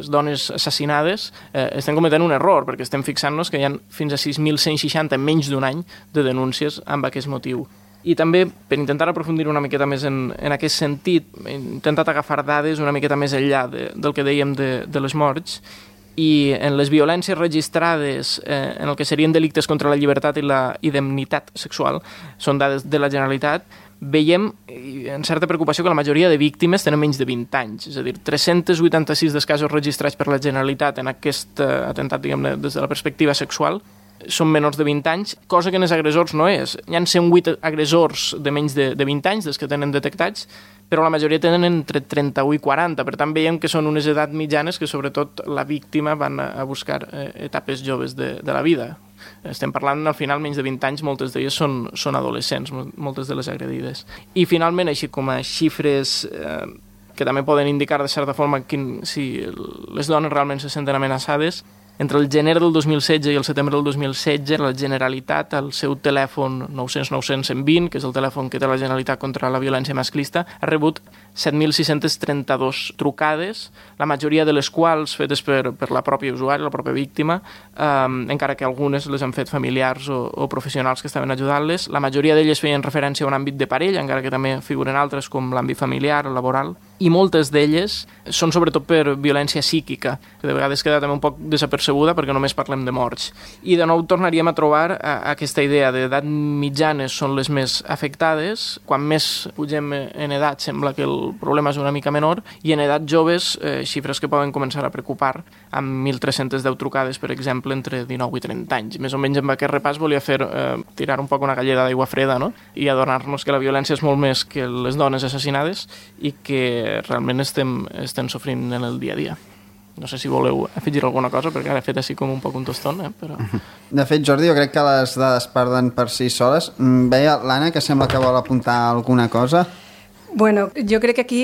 Speaker 3: dones assassinades, estem cometent un error, perquè estem fixant-nos que hi ha fins a 6.160 en menys d'un any de denúncies amb aquest motiu. I també, per intentar aprofundir una miqueta més en aquest sentit, he intentat agafar dades una miqueta més enllà del que dèiem de les morts, i en les violències registrades en el que serien delictes contra la llibertat i la indemnitat sexual, són dades de la Generalitat, veiem en certa preocupació que la majoria de víctimes tenen menys de 20 anys, és a dir, 386 dels casos registrats per la Generalitat en aquest atemptat, diguem-ne, des de la perspectiva sexual, són menors de 20 anys, cosa que en els agressors no és. Hi ha 108 agressors de menys de 20 anys, dels que tenen detectats, però la majoria tenen entre 31 i 40. Per tant, veiem que són unes edats mitjanes que, sobretot, la víctima van a buscar etapes joves de la vida. Estem parlant, al final, menys de 20 anys, moltes d'elles són adolescents, moltes de les agredides. I, finalment, així com a xifres que també poden indicar, de certa forma, si les dones realment se senten amenaçades, entre el gener del 2016 i el setembre del 2016, la Generalitat, al seu telèfon 900-900-120, que és el telèfon que té la Generalitat contra la violència masclista, ha rebut 7.632 trucades, la majoria de les quals fetes per la pròpia usuària, la pròpia víctima, encara que algunes les han fet familiars o professionals que estaven ajudant-les. La majoria d'elles feien referència a un àmbit de parella, encara que també figuren altres com l'àmbit familiar o laboral, i moltes d'elles són sobretot per violència psíquica, que de vegades queda també un poc desapercebuda perquè només parlem de morts. I de nou tornaríem a trobar aquesta idea d'edat mitjanes són les més afectades, quan més pugem en edat sembla que el problema és una mica menor, i en edat joves xifres que poden començar a preocupar, amb 1.310 trucades, per exemple, entre 19 i 30 anys. Més o menys amb aquest repàs volia tirar un poc una galleda d'aigua freda, no? I adonar-nos que la violència és molt més que les dones assassinades i que realment estem sofrint en el dia a dia. No sé si voleu afegir alguna cosa, perquè ara he fet així com un poc un toston, però...
Speaker 2: De fet, Jordi, jo crec que les dades parlen per si soles. Veia l'Anna, que sembla que vol apuntar alguna cosa.
Speaker 8: Bueno, jo crec que aquí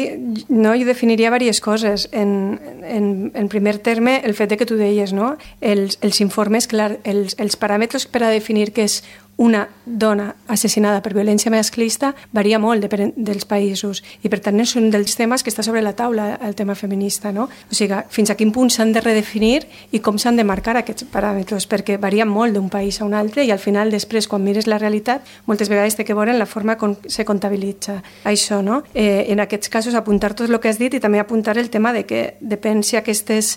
Speaker 8: jo definiria diverses coses. En primer terme, el fet que tu deies, no? Els informes, clar, els paràmetres per a definir què és una dona assassinada per violència masclista varia molt dels països, i per tant és un dels temes que està sobre la taula, el tema feminista, no? O sigui, fins a quin punt s'han de redefinir i com s'han de marcar aquests paràmetres, perquè varien molt d'un país a un altre, i al final després, quan mires la realitat, moltes vegades té que veure en la forma com se comptabilitza això, no? En aquests casos, apuntar tot el que has dit i també apuntar el tema de que depèn si aquestes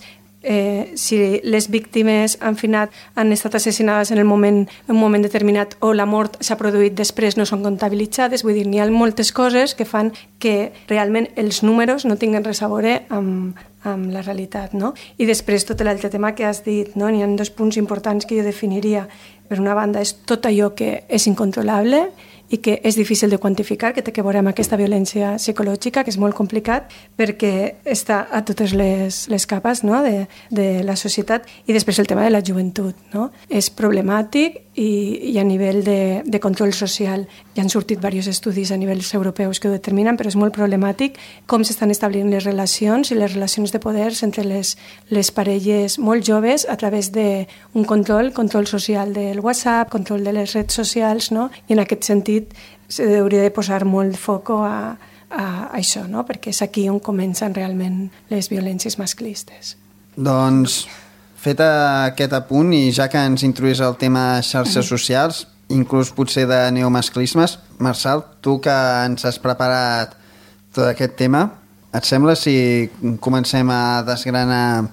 Speaker 8: si les víctimes han estat assassinades en un moment determinat o la mort s'ha produït després, no són comptabilitzades. Vull dir, n'hi ha moltes coses que fan que realment els números no tinguen res a veure amb la realitat, no? I després tot l'altre tema que has dit, no? N'hi ha 2 punts importants que jo definiria. Per una banda, és tot allò que és incontrolable i que és difícil de quantificar, que té que veure amb aquesta violència psicològica, que és molt complicat perquè està a totes les capes, no? de la societat. I després el tema de la joventut, no? És problemàtic i a nivell de control social. Ja han sortit diversos estudis a nivells europeus que ho determinen, però és molt problemàtic com s'estan establint les relacions i les relacions de poders entre les parelles molt joves a través d'un control social del WhatsApp, control de les redes socials, no? I en aquest sentit s'hauria de posar molt foco a això, no? Perquè és aquí on comencen realment les violències masclistes.
Speaker 2: Doncs, fet aquest apunt, i ja que ens introduís el tema xarxes socials, inclús potser de neomasclismes, Marçal, tu que ens has preparat tot aquest tema, et sembla si comencem a desgranar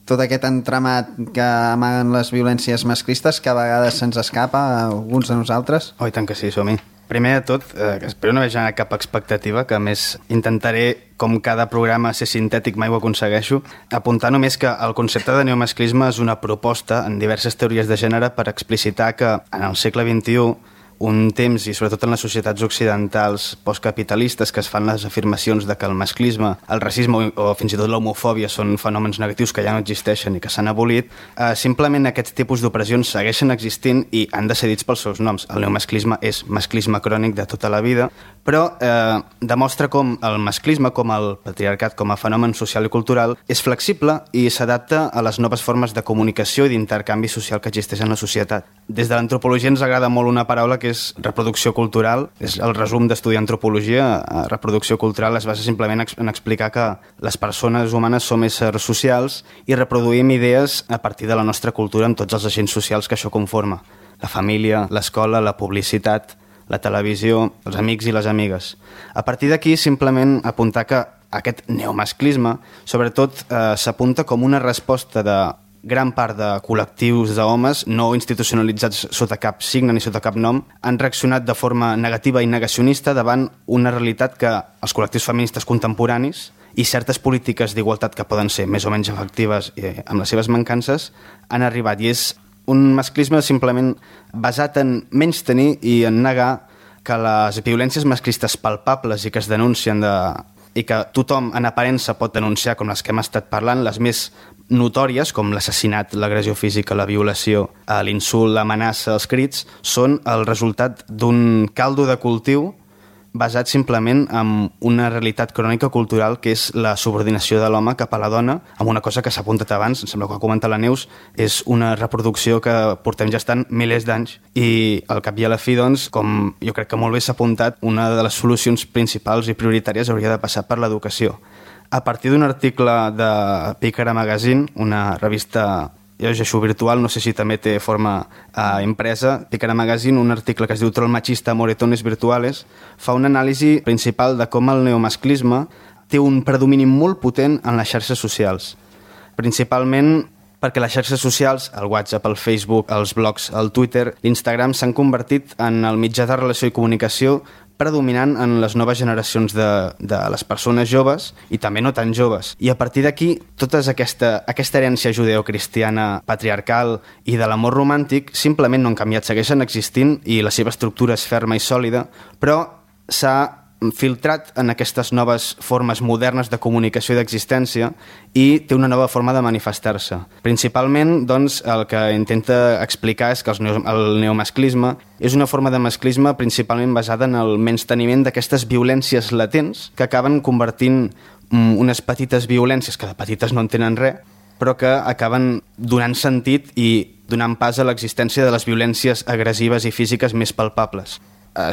Speaker 2: tot aquest entramat que amaguen les violències masclistes que a vegades se'ns escapa a alguns de nosaltres?
Speaker 5: Oh, i tant que sí, som-hi. Primer de tot, espero no haver generat cap expectativa, que a més intentaré, com cada programa, ser sintètic, mai ho aconsegueixo, apuntar només que el concepte de neomasclisme és una proposta en diverses teories de gènere per explicitar que en el segle XXI un temps, i sobretot en les societats occidentals postcapitalistes, que es fan les afirmacions de que el masclisme, el racisme o fins i tot l'homofòbia són fenòmens negatius que ja no existeixen i que s'han abolit, simplement aquests tipus d'opressions segueixen existint i han de ser dits pels seus noms. El neomasclisme és masclisme crònic de tota la vida, però demostra com el masclisme, com el patriarcat, com a fenomen social i cultural, és flexible i s'adapta a les noves formes de comunicació i d'intercanvi social que existeix en la societat. Des de l'antropologia ens agrada molt una paraula que és reproducció cultural. És el resum d'estudiar antropologia. Reproducció cultural es basa simplement en explicar que les persones humanes som éssers socials i reproduïm idees a partir de la nostra cultura amb tots els agents socials que això conforma. La família, l'escola, la publicitat, la televisió, els amics i les amigues. A partir d'aquí, simplement apuntar que aquest neomasclisme, sobretot, s'apunta com una resposta de gran part de col·lectius d'homes no institucionalitzats sota cap signe ni sota cap nom han reaccionat de forma negativa i negacionista davant una realitat que els col·lectius feministes contemporanis i certes polítiques d'igualtat que poden ser més o menys efectives amb les seves mancances han arribat. I és un masclisme simplement basat en menystenir i en negar que les violències masclistes palpables i que es denuncien i que tothom en aparença pot denunciar, com les que hem estat parlant, les més notòries, com l'assassinat, l'agressió física, la violació, l'insult, l'amenaça, els crits, són el resultat d'un caldo de cultiu basat simplement en una realitat crònica cultural que és la subordinació de l'home cap a la dona, amb una cosa que s'ha apuntat abans, em sembla que ho ha comentat la Neus, és una reproducció que portem gestant milers d'anys. I al cap i a la fi, doncs, com jo crec que molt bé s'ha apuntat, una de les solucions principals i prioritàries hauria de passar per l'educació. A partir d'un article de Pícara Magazine, una revista llegeixo virtual, no sé si també té forma impresa, Pícara Magazine, un article que es diu Troll machista, moretones virtuales, fa una anàlisi principal de com el neomasclisme té un predomini molt potent en les xarxes socials. Principalment perquè les xarxes socials, el WhatsApp, el Facebook, els blogs, el Twitter, l'Instagram s'han convertit en el mitjà de relació i comunicació predominant en les noves generacions de les persones joves i també no tan joves. I a partir d'aquí, tota aquesta herència judeocristiana patriarcal i de l'amor romàntic simplement no han canviat, segueixen existint i la seva estructura és ferma i sòlida, però s'ha filtrat en aquestes noves formes modernes de comunicació i d'existència i té una nova forma de manifestar-se. Principalment, doncs, el que intenta explicar és que el neomasclisme és una forma de masclisme principalment basada en el menysteniment d'aquestes violències latents que acaben convertint unes petites violències, que de petites no en tenen res, però que acaben donant sentit i donant pas a l'existència de les violències agressives i físiques més palpables.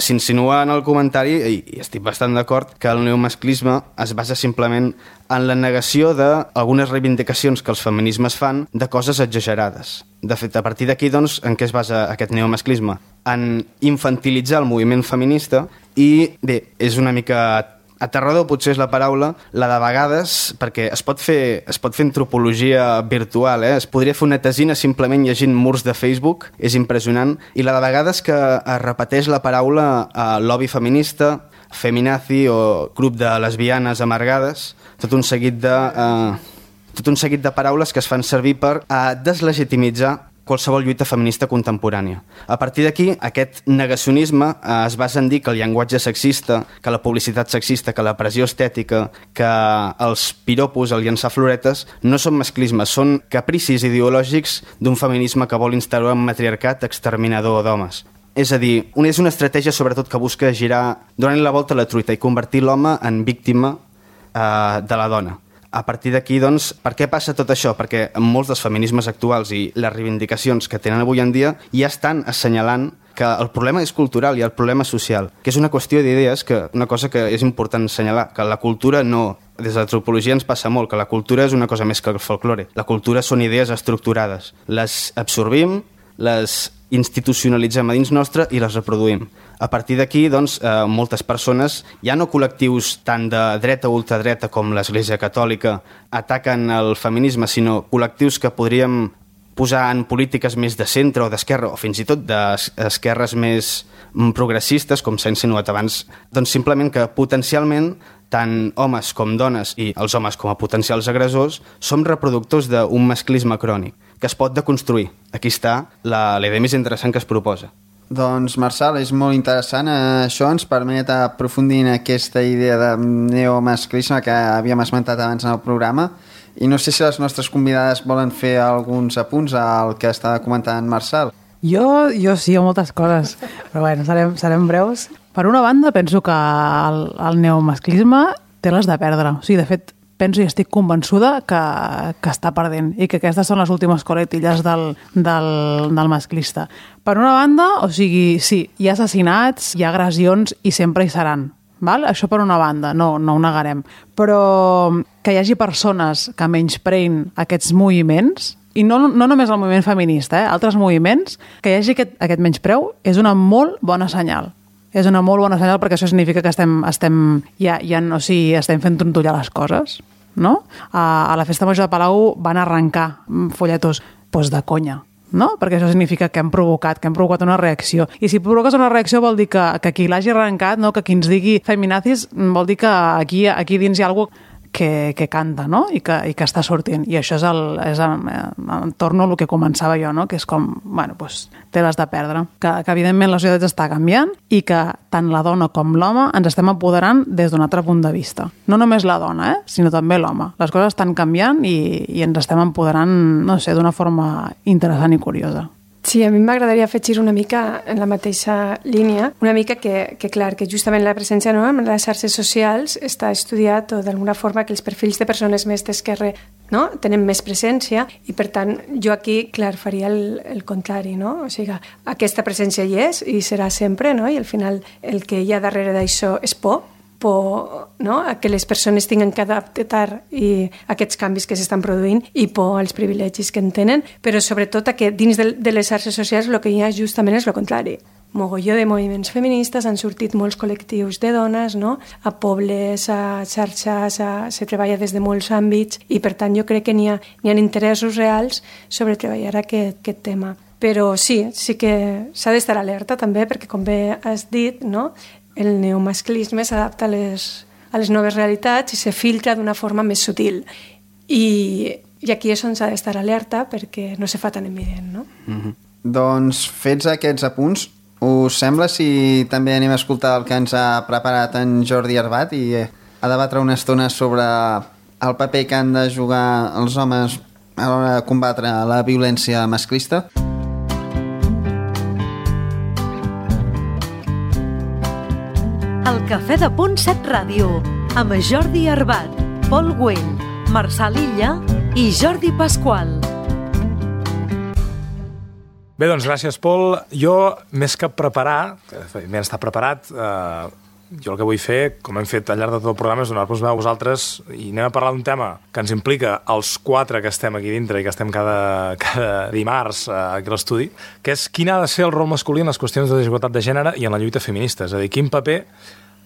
Speaker 5: S'insinua en el comentari, i estic bastant d'acord, que el neomasclisme es basa simplement en la negació d'algunes reivindicacions que els feminismes fan de coses exagerades. De fet, a partir d'aquí, doncs, en què es basa aquest neomasclisme? En infantilitzar el moviment feminista i, bé, és una mica aterrador, potser és la paraula, la de vegades, perquè es pot fer antropologia virtual, es podria fer una tesina simplement llegint murs de Facebook, és impressionant, i la de vegades que es repeteix la paraula lobby feminista, feminazi o grup de lesbianes amargades, tot un seguit de paraules que es fan servir per deslegitimitzar qualsevol lluita feminista contemporània. A partir d'aquí, aquest negacionisme es basa en dir que el llenguatge sexista, que la publicitat sexista, que la pressió estètica, que els piropos, el llançar floretes, no són masclismes, són capricis ideològics d'un feminisme que vol instaurar un matriarcat exterminador d'homes. És a dir, és una estratègia sobretot que busca girar, donant la volta a la truita i convertir l'home en víctima de la dona. A partir d'aquí, doncs, per què passa tot això? Perquè molts dels feminismes actuals i les reivindicacions que tenen avui en dia ja estan assenyalant que el problema és cultural i el problema social, que és una qüestió d'idees, una cosa que és important assenyalar, que la cultura no... Des de l'antropologia ens passa molt, que la cultura és una cosa més que el folklore. La cultura són idees estructurades. Les absorbim, les institucionalitzem a dins nostre i les reproduïm. A partir d'aquí, doncs, moltes persones, ja no col·lectius tant de dreta o ultradreta com l'Església Catòlica, ataquen el feminisme, sinó col·lectius que podríem posar en polítiques més de centre o d'esquerra, o fins i tot d'esquerres més progressistes, com s'ha insinuat abans, doncs simplement que potencialment tant homes com dones i els homes com a potencials agressors som reproductors d'un masclisme crònic que es pot deconstruir. Aquí està la idea més interessant que es proposa.
Speaker 2: Doncs, Marçal, és molt interessant. Això ens permet aprofundir en aquesta idea de neomasclisme que havíem esmentat abans en el programa. I no sé si les nostres convidades volen fer alguns apunts al que estava comentant Marçal.
Speaker 6: Jo sí, moltes coses, però bueno, serem breus. Per una banda, penso que el neomasclisme té les de perdre. O sigui, de fet, penso i estic convençuda que està perdent i que aquestes són les últimes coletilles del masclista. Per una banda, o sigui, sí, hi ha assassinats, hi ha agressions i sempre hi seran. Val? Això per una banda, no ho negarem. Però que hi hagi persones que menyspreïn aquests moviments, i no només el moviment feminista, altres moviments, que hi hagi aquest menyspreu és una molt bona senyal. És una molt bona senyal perquè això significa que estem fent trontollar les coses, no? A la festa major de Palau van arrencar folletos de conya, no? Perquè això significa que hem provocat una reacció. I si provoques una reacció vol dir que qui l'hagi arrencat, no? Que qui ens digui feminazis vol dir que aquí dins hi ha alguna cosa que canta, no? I que està sortint. I això és torno a lo que començava jo, no? Que és com, bueno, té les de perdre. Que evidentment la societat està canviant i que tant la dona com l'home ens estem apoderant des d'un altre punt de vista. No només la dona, sinó també l'home. Les coses estan canviant i ens estem empoderant, no sé, d'una forma interessant i curiosa.
Speaker 8: Sí, a mi m'agradaria afegir una mica en la mateixa línia, una mica que clar, que justament la presència en les xarxes socials està estudiat o d'alguna forma que els perfils de persones més d'esquerra tenen més presència i per tant jo aquí, clar, faria el contrari, no? O sigui, aquesta presència hi és i serà sempre, no? I al final el que hi ha darrere d'això és por, a que les persones tinguin que adaptar i aquests canvis que s'estan produint i por als privilegis que en tenen, però sobretot que dins de les xarxes socials el que hi ha justament és el contrari. Mogolló de moviments feministes, han sortit molts col·lectius de dones, no? A pobles, a xarxes, se treballa des de molts àmbits i per tant jo crec que n'hi ha interessos reals sobre treballar aquest tema. Però sí que s'ha d'estar alerta també perquè com bé has dit, no? El neomasclisme s'adapta a les noves realitats i se filtra d'una forma més sutil. I aquí és on s'ha d'estar alerta perquè no se fa tan evident, no?
Speaker 2: Mm-hmm. Doncs, fets aquests apunts, us sembla si també anem a escoltar el que ens ha preparat en Jordi Arbat i a debatre una estona sobre el paper que han de jugar els homes a l'hora de combatre la violència masclista?
Speaker 1: El Cafè de Punt 7 Ràdio, amb Jordi Arbat, Pol Güell, Marçal Illa i Jordi Pasqual.
Speaker 4: Bé, doncs gràcies, Pol. Jo, més que preparar, està preparat, jo el que vull fer, com hem fet al llarg de tot el programa, és donar-vos veu a vosaltres i anem a parlar d'un tema que ens implica els 4 que estem aquí dintre i que estem cada dimarts aquí a l'estudi, que és quin ha de ser el rol masculí en les qüestions de desigualtat de gènere i en la lluita feminista. És a dir, quin paper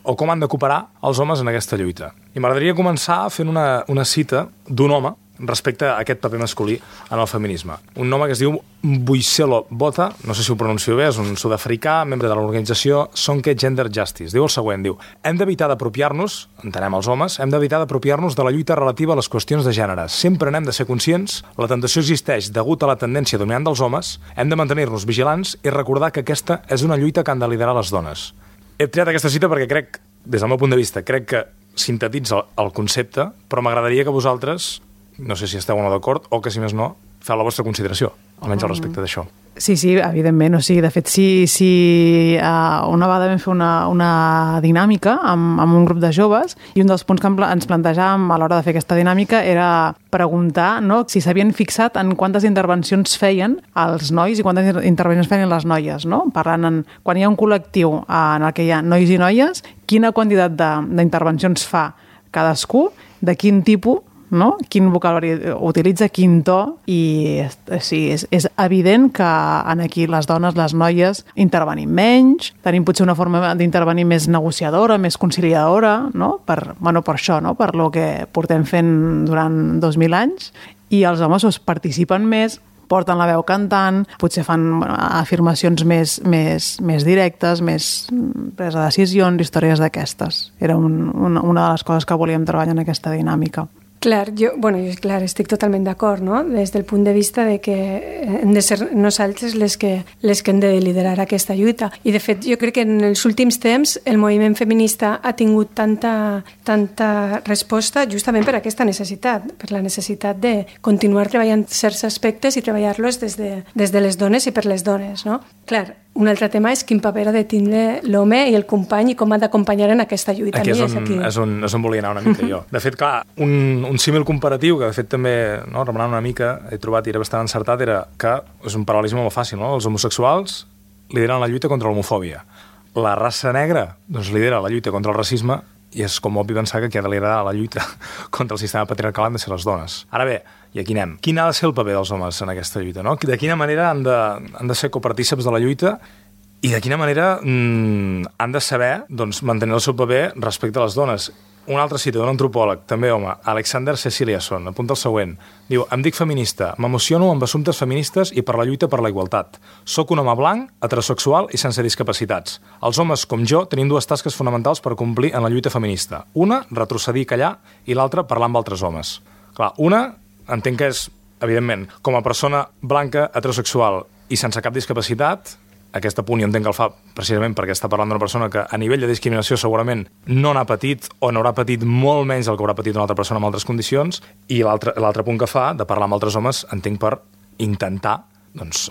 Speaker 4: o com han de cooperar els homes en aquesta lluita. I m'agradaria començar fent una cita d'un home respecte a aquest paper masculí en el feminisme. Un home que es diu Boicelo Bota, no sé si ho pronuncio bé, és un sud-africà, membre de l'organització Sonke Gender Justice. Diu el següent, hem d'evitar d'apropiar-nos, entenem els homes, hem d'evitar d'apropiar-nos de la lluita relativa a les qüestions de gènere. Sempre n'hem de ser conscients, la tentació existeix degut a la tendència dominant dels homes, hem de mantenir-nos vigilants i recordar que aquesta és una lluita que han de liderar les dones. He triat aquesta cita perquè crec, des del meu punt de vista, crec que sintetitza el concepte, però m'agradaria que vosaltres, no sé si esteu o no d'acord, o que si més no, feu la vostra consideració, almenys al respecte d'això.
Speaker 6: Sí, evidentment. O sigui, de fet, si una vegada vam fer una dinàmica amb un grup de joves i un dels punts que ens plantejàvem a l'hora de fer aquesta dinàmica era preguntar, no, si s'havien fixat en quantes intervencions feien els nois i quantes intervencions feien les noies, no? Parlant quan hi ha un col·lectiu en el que hi ha nois i noies, quina quantitat d'intervencions fa cadascú, de quin tipus, no? Quin vocabulari utilitza, quin to, i sí, és evident que aquí les dones, les noies, intervenim menys, tenim potser una forma d'intervenir més negociadora, més conciliadora, no? Per això, no? Per lo que portem fent durant 2.000 anys, i els homes participen més, porten la veu cantant, potser fan afirmacions més directes, més presa de decisions, històries d'aquestes. Era una de les coses que volíem treballar en aquesta dinàmica.
Speaker 8: Clar, jo estic totalment d'acord, no? Des del punt de vista de que hem de ser nosaltres les que hem de liderar aquesta lluita. I, de fet, jo crec que en els últims temps el moviment feminista ha tingut tanta resposta justament per aquesta necessitat, per la necessitat de continuar treballant certs aspectes i treballar-los des de les dones i per les dones, no? Clar, un altre tema és quin paper ha de tindre l'home i el company i com ha d'acompanyar en aquesta lluita.
Speaker 4: Aquí és on volia anar una mica jo. De fet, clar, un símil comparatiu que de fet també, no, remenant una mica, he trobat i era bastant encertat, era que és un paral·lelisme molt fàcil, no? Els homosexuals lideren la lluita contra l'homofòbia. La raça negra doncs lidera la lluita contra el racisme i és com obvi pensar que qui ha de liderar la lluita contra el sistema patriarcal han de ser les dones. Ara bé, i aquí anem. Quin ha de ser el paper dels homes en aquesta lluita, no? De quina manera han de ser copartíceps de la lluita i de quina manera han de saber doncs, mantenir el seu paper respecte a les dones. Una altra cita d'un antropòleg, també home, Alexander Ceciliasson, apunta el següent. Diu, em dic feminista, m'emociono amb assumptes feministes i per la lluita per la igualtat. Soc un home blanc, heterosexual i sense discapacitats. Els homes, com jo, tenim dues tasques fonamentals per complir en la lluita feminista. Una, retrocedir i callar, i l'altra, parlar amb altres homes. Clar, una, entenc que és, evidentment, com a persona blanca, heterosexual i sense cap discapacitat, aquest apunt jo entenc que el fa precisament perquè està parlant d'una persona que a nivell de discriminació segurament no n'ha patit o n'haurà patit molt menys del que haurà patit una altra persona amb altres condicions, i l'altre punt que fa de parlar amb altres homes entenc per intentar doncs,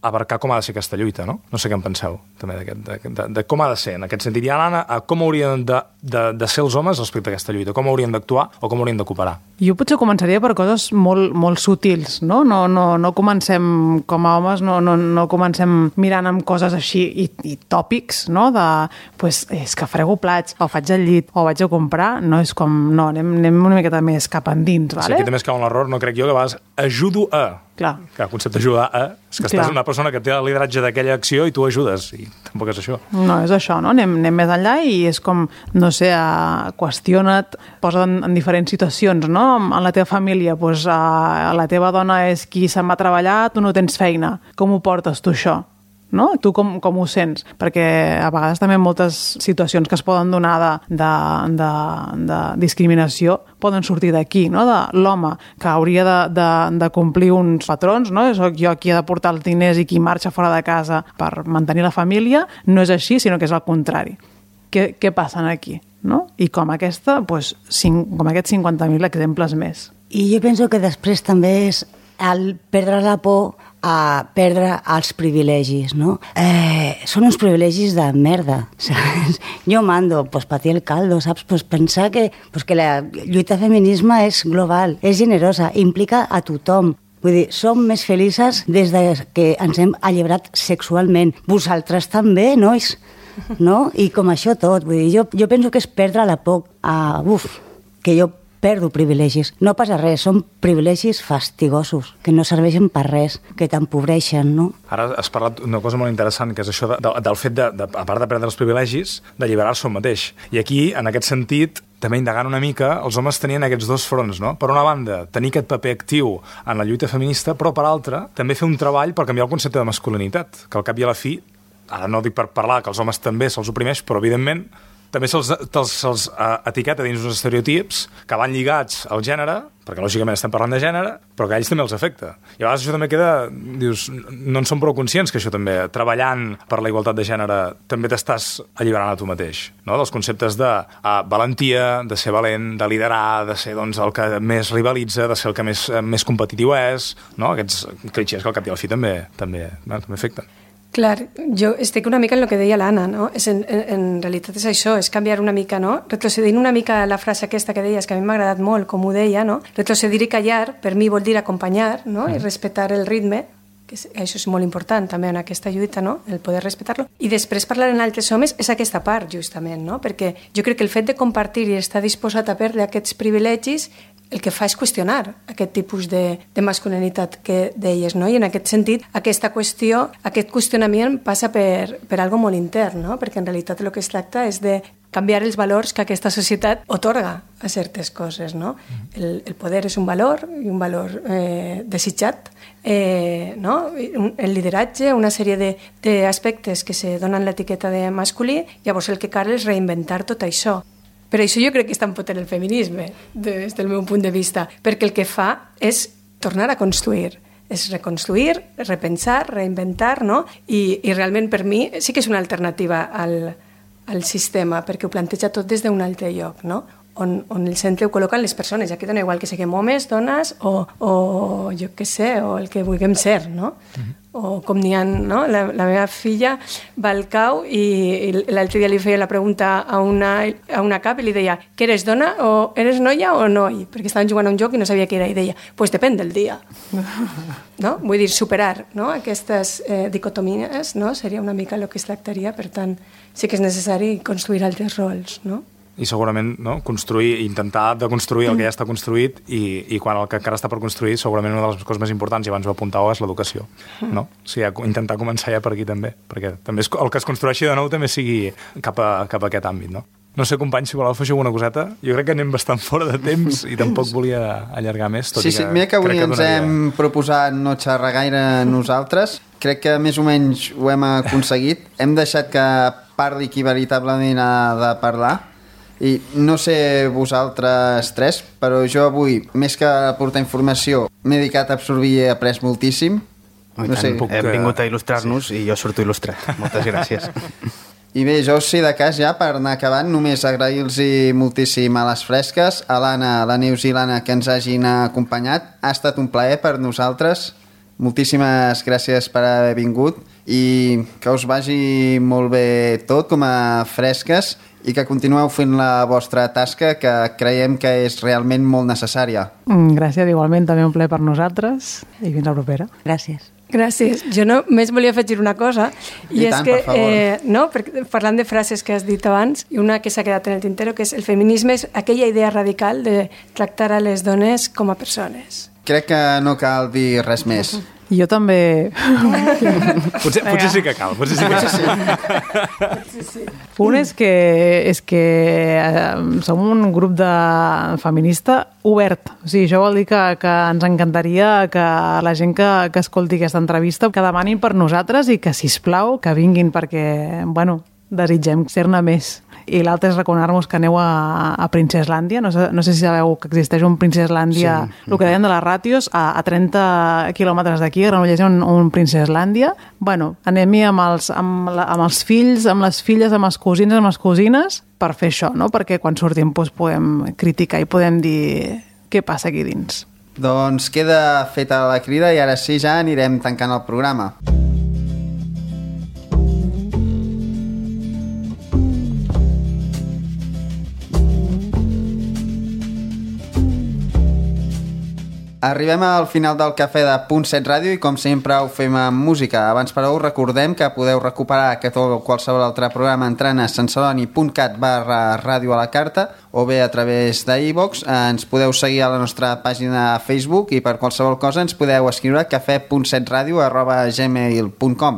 Speaker 4: abarcar com ha de ser aquesta lluita, no? No sé què en penseu, també, de com ha de ser, en aquest sentit. I ara, com haurien de ser els homes respecte a aquesta lluita? Com haurien d'actuar o com haurien de cooperar?
Speaker 6: Jo potser començaria per coses molt sutils, no? No comencem, com a homes, no comencem mirant amb coses així i tòpics, no? Pues, és que frego plats, o faig el llit, o vaig a comprar, no és com... No, anem una miqueta més cap endins, vale?
Speaker 4: Sí, aquí també es cau en l'error, no crec jo, que a vegades ajudo a...
Speaker 6: Clar.
Speaker 4: Que el concepte ajudar a... És que estàs una persona que té el lideratge d'aquella acció i tu ajudes, i tampoc és això.
Speaker 6: No, és això, no? Anem més enllà i és com, no sé, qüestiona't, posa't en diferents situacions, no? En la teva família, doncs, la teva dona és qui se'n va a treballar, tu no tens feina. Com ho portes, tu, això? No? Tu com ho sents? Perquè a vegades també moltes situacions que es poden donar de discriminació poden sortir d'aquí, no? De l'home que hauria de complir uns patrons, no? Soc jo qui ha de portar els diners i qui marxa fora de casa per mantenir la família, no és així, sinó que és al contrari. Què passa aquí? No? I com aquesta, doncs, com aquests 50.000 exemples més.
Speaker 7: I jo penso que després també és el perdre la por a perdre els privilegis, no? Són uns privilegis de merda, saps? Jo mando, pues, patir el caldo, saps? Pues pensar que la lluita feminisme és global, és generosa, implica a tothom. Vull dir, som més felices des de que ens hem alliberat sexualment. Vosaltres també, nois, no? I com això tot, vull dir, jo penso que és perdre la por que jo perdo privilegis. No passa res, són privilegis fastigosos, que no serveixen per res, que t'empobreixen, no?
Speaker 4: Ara has parlat d'una cosa molt interessant, que és això del fet, a part de perdre els privilegis, d'alliberar-se un mateix. I aquí, en aquest sentit, també indagant una mica, els homes tenien aquests dos fronts, no? Per una banda, tenir aquest paper actiu en la lluita feminista, però per altra, també fer un treball per canviar el concepte de masculinitat, que al cap i a la fi, ara no dic per parlar que els homes també se'ls oprimeix, però evidentment també se'ls etiqueta dins uns estereotips que van lligats al gènere, perquè lògicament estem parlant de gènere, però que a ells també els afecta. I a vegades això també queda, dius, no en som prou conscients que això també, treballant per la igualtat de gènere, també t'estàs alliberant a tu mateix, no? Dels conceptes de valentia, de ser valent, de liderar, de ser doncs, el que més rivalitza, de ser el que més competitiu és, no? Aquests clixés que al cap i al fi també afecten.
Speaker 8: Clar, jo estic una mica en el que deia l'Anna, no? En realitat és això, és canviar una mica, no? Retrocedint una mica la frase aquesta que deies, que a mi m'ha agradat molt, com ho deia, no? Retrocedir i callar, per mi vol dir acompanyar, no? I respectar el ritme, que això és molt important també en aquesta lluita, no? El poder respectar-lo. I després parlar en altres homes és aquesta part, justament, no? Perquè jo crec que el fet de compartir i estar disposat a perdre aquests privilegis el que fa és qüestionar aquest tipus de masculinitat que deies, no? I en aquest sentit, aquest qüestionament passa per algo molt intern, no? Perquè en realitat el que es tracta és de canviar els valors que aquesta societat otorga a certes coses, no? El poder és un valor, i un valor desitjat, no? El lideratge, una sèrie d'aspectes que se donen l'etiqueta de masculí, llavors el que cal és reinventar tot això. Per això jo crec que és tan potent el feminisme, des del meu punt de vista, perquè el que fa és tornar a construir, és reconstruir, repensar, reinventar, no? I realment per mi sí que és una alternativa al sistema, perquè ho planteja tot des d'un altre lloc, no? On el centre ho col·loquen les persones, ja que dona igual que siguem homes, dones o jo què sé, o el que vulguem ser, no? O com n'hi ha, no? La meva filla va al cau i l'altre dia li feia la pregunta a una cap i li deia que eres dona o eres noia o noi? Perquè estaven jugant a un joc i no sabia què era i deia, pues depèn del dia. No? Vull dir, superar, no? Aquestes dicotomies, no? Seria una mica el que es tractaria, per tant, sí que és necessari construir altres rols, no?
Speaker 4: I segurament construir, intentar de construir el que ja està construït i quan el que encara està per construir segurament una de les coses més importants, i abans ho apuntàveu, és l'educació, no? O sigui, intentar començar ja per aquí també, perquè també el que es construeixi de nou també sigui cap a aquest àmbit, no? No sé, companys, si voleu afegir alguna coseta. Jo crec que anem bastant fora de temps i tampoc volia allargar més.
Speaker 2: Sí, mira que avui ens hem proposat no xerrar gaire nosaltres. Crec que més o menys ho hem aconseguit. Hem deixat que parli qui veritablement ha de parlar. I no sé vosaltres tres, però jo avui, més que aportar informació, m'he dedicat a absorbir i he après moltíssim.
Speaker 5: No sé. Hem vingut a il·lustrar-nos i jo surto il·lustrat. Moltes gràcies.
Speaker 2: I bé, jo si de cas ja per anar acabant, només agrair-los moltíssim a les fresques, a l'Anna, a la Neus i l'Anna que ens hagin acompanyat. Ha estat un plaer per nosaltres. Moltíssimes gràcies per haver vingut i que us vagi molt bé tot com a fresques i que continueu fent la vostra tasca, que creiem que és realment molt necessària.
Speaker 6: Gràcies, igualment, també un plaer per nosaltres i fins la propera.
Speaker 7: Gràcies.
Speaker 8: Gràcies. Jo només volia afegir una cosa, i és que, no, parlant de frases que has dit abans, i una que s'ha quedat en el tintero, que és el feminisme és aquella idea radical de tractar a les dones com a persones.
Speaker 2: Crec que no cal dir res més.
Speaker 6: Jo també...
Speaker 4: Potser sí que cal, potser sí que sí.
Speaker 6: Un és que som un grup de feminista obert. O sigui, això vol dir que ens encantaria que la gent que escolti aquesta entrevista que demanin per nosaltres i que, sisplau, que vinguin perquè, bueno, desitgem ser-ne més. I l'altre és recomanar-vos que aneu a Princeslàndia. No sé si sabeu que existeix un Princeslàndia, sí. El que deien de les ràtios, a 30 quilòmetres d'aquí, a Granollers, un Princeslàndia. Bueno, anem-hi amb els fills, amb les filles, amb els cosins, amb les cosines, per fer això, no? Perquè quan sortim podem criticar i podem dir què passa aquí dins.
Speaker 2: Doncs queda feta la crida i ara sí ja anirem tancant el programa. Arribem al final del Cafè de Punt 7 Ràdio i com sempre ho fem amb música. Abans però us recordem que podeu recuperar aquest o qualsevol altre programa entrant a santceloni.cat/ràdio a la carta o bé a través d'iVox. Ens podeu seguir a la nostra pàgina de Facebook i per qualsevol cosa ens podeu escriure cafè.setradio@gmail.com.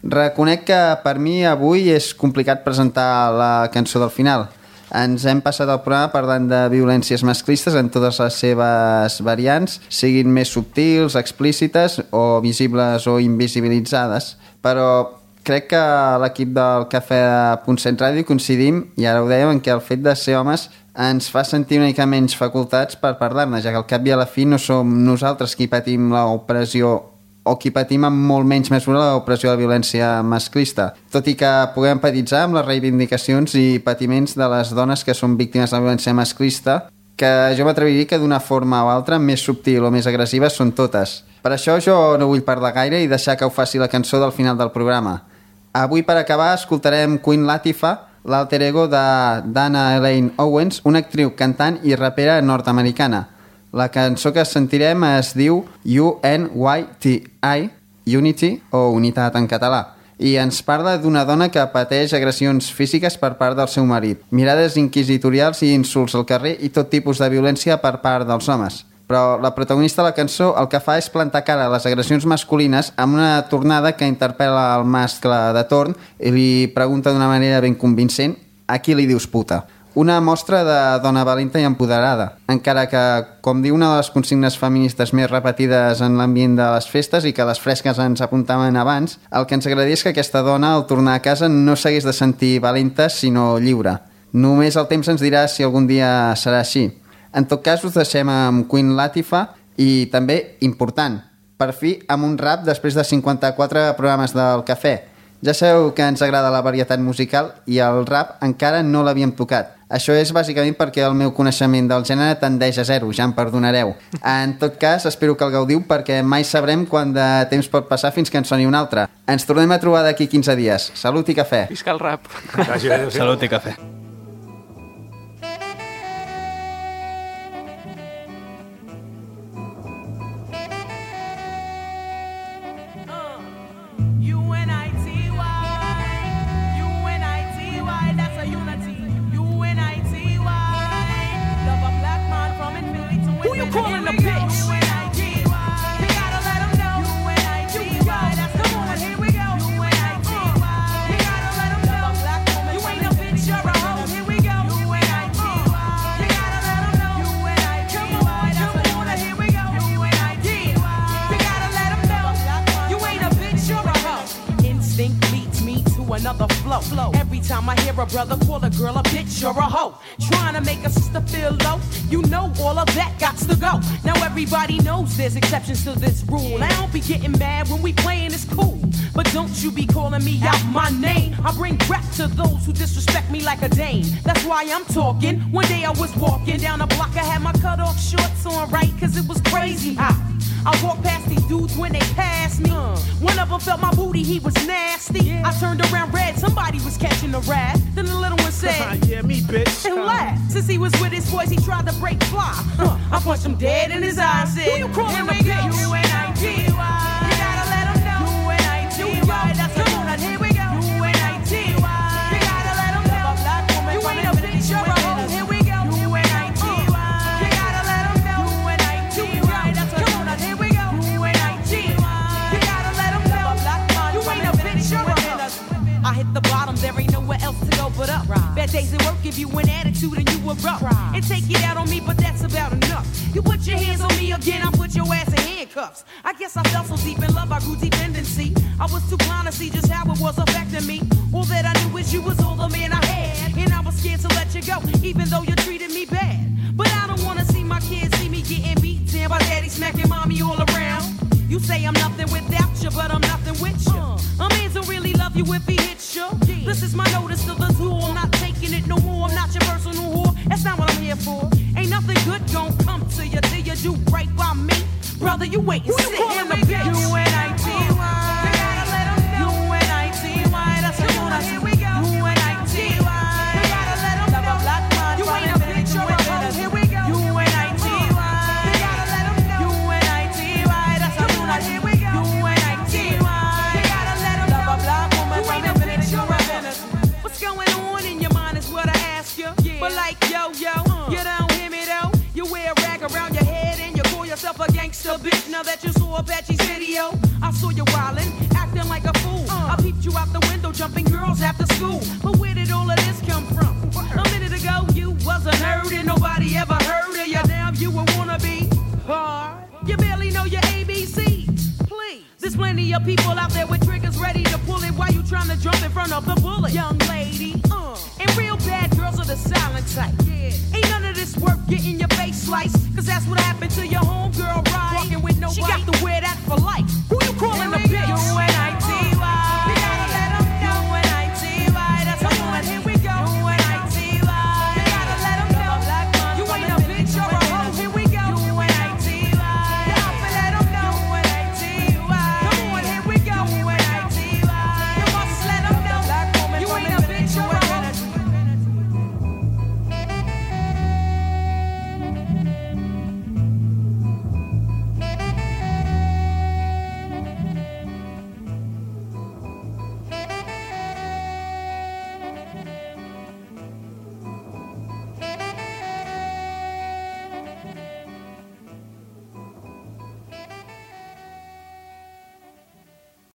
Speaker 2: Reconec que per mi avui és complicat presentar la cançó del final. Ens hem passat el programa parlant de violències masclistes en totes les seves variants, siguin més subtils, explícites o visibles o invisibilitzades. Però crec que l'equip del Cafè de Punt 7 Ràdio coincidim, i ara ho dèiem, en què el fet de ser homes ens fa sentir una mica menys facultats per parlar-ne, ja que al cap i a la fi no som nosaltres qui patim l'opressió o qui patim amb molt menys mesura l'opressió de la violència masclista, tot i que puguem empatitzar amb les reivindicacions i patiments de les dones que són víctimes de la violència masclista, que jo m'atreviria que d'una forma o altra més subtil o més agressiva són totes. Per això jo no vull parlar gaire i deixar que ho faci la cançó del final del programa. Avui, per acabar, escoltarem Queen Latifah, l'alter ego de Dana Elaine Owens, una actriu, cantant i rapera nord-americana. La cançó que sentirem es diu UNYTI, Unity o Unitat en català, i ens parla d'una dona que pateix agressions físiques per part del seu marit, mirades inquisitorials i insults al carrer i tot tipus de violència per part dels homes. Però la protagonista de la cançó el que fa és plantar cara a les agressions masculines amb una tornada que interpel·la el mascle de torn i li pregunta d'una manera ben convincent: a qui li dius puta? Una mostra de dona valenta i empoderada, encara que, com diu una de les consignes feministes més repetides en l'ambient de les festes i que les fresques ens apuntaven abans, el que ens agradaria és que aquesta dona, al tornar a casa, no s'hagués de sentir valenta, sinó lliure. Només el temps ens dirà si algun dia serà així. En tot cas, us deixem amb Queen Latifah i també, important, per fi amb un rap després de 54 programes del Cafè. Ja sabeu que ens agrada la varietat musical i el rap encara no l'havíem tocat. Això és bàsicament perquè el meu coneixement del gènere tendeix a zero, ja em perdonareu. En tot cas, espero que el gaudiu perquè mai sabrem quant de temps pot passar fins que en soni un altre. Ens tornem a trobar d'aquí 15 dies. Salut i cafè.
Speaker 3: Visca el rap.
Speaker 5: Salut i cafè.
Speaker 9: Another flow. Every time I hear a brother call a girl a bitch or a hoe, trying to make a sister feel low, you know all of that gots to go. Now everybody knows there's exceptions to this rule. I don't be getting mad when we playing, it's cool, but don't you be calling me out my name. I bring rap to those who disrespect me like a dame. That's why I'm talking. One day I was walking down the block, I had my cut off shorts on, right, cause it was crazy hot. I walked past these dudes when they passed me. One of them felt my booty, he was nasty. I turned around red, somebody was catching a rat. Then the little one said,
Speaker 10: yeah, me, bitch.
Speaker 9: And laughed. Since he was with his boys, he tried to break fly. I punched him dead in his eye and said, who you calling a bitch? UNITY. You gotta let him know. UNITY. That's come on, here we go. UNITY. You gotta let him know. You ain't a bitch, you're a hoe. Here we go. UNITY. You gotta let him know. UNITY. That's come on, here we go. UNITY. You gotta let him know. You ain't a bitch, you're a hoe. I hit the bottom, there ain't nowhere else to go but up. Bad days at work give you an attitude and you erupt. And take it out on me, but that's about enough. You put your hands on me again, I put your ass in handcuffs. I guess I fell so deep in love, I grew dependency. I was too blind to see just how it was affecting me. All that I knew is you was all the man I had, and I was scared to let you go, even though you treated me bad. But I don't wanna see my kids see me getting beat down by daddy smacking mommy all around. You say I'm nothing without you, but I'm nothing with you. A man don't really love you if he hits you. This is my notice to the tool. I'm not taking it no more. I'm not your personal whore. That's not what I'm here for. Ain't nothing good gon' come to you till you do right by me. Brother, you wait and sit in the bitch. UNITY. You gotta let him know. UNITY. That's come on, here we go. UNITY. You gotta let him know. You ain't a bitch or a hoe. Here we go. UNITY. You gotta let him know. UNITY. That's come on, here we go. UNITY. You gotta let him know. You ain't a bitch or a hoe. What's going on in your mind is what I ask you. But like yo, you don't hear me though. You wear a rag around your head and you call yourself a gangster bitch. Now that you saw Apache's video, I saw you wildin', acting like a fool. I peeped you out the window, jumping girls after school. But where did all of this come from? A minute ago you wasn't heard and nobody ever heard of you. Now you a wannabe hard. You barely know your ABCs. Please, there's plenty of people out there with triggers ready to pull it while you trying to jump in front of the bullet. Young lady, and real bad girls are the silent type. Ain't none of this worth getting your face sliced, cause that's what happened to your homegirl, right? Walking with nobody. She got to wear that for life. Who you calling a bitch?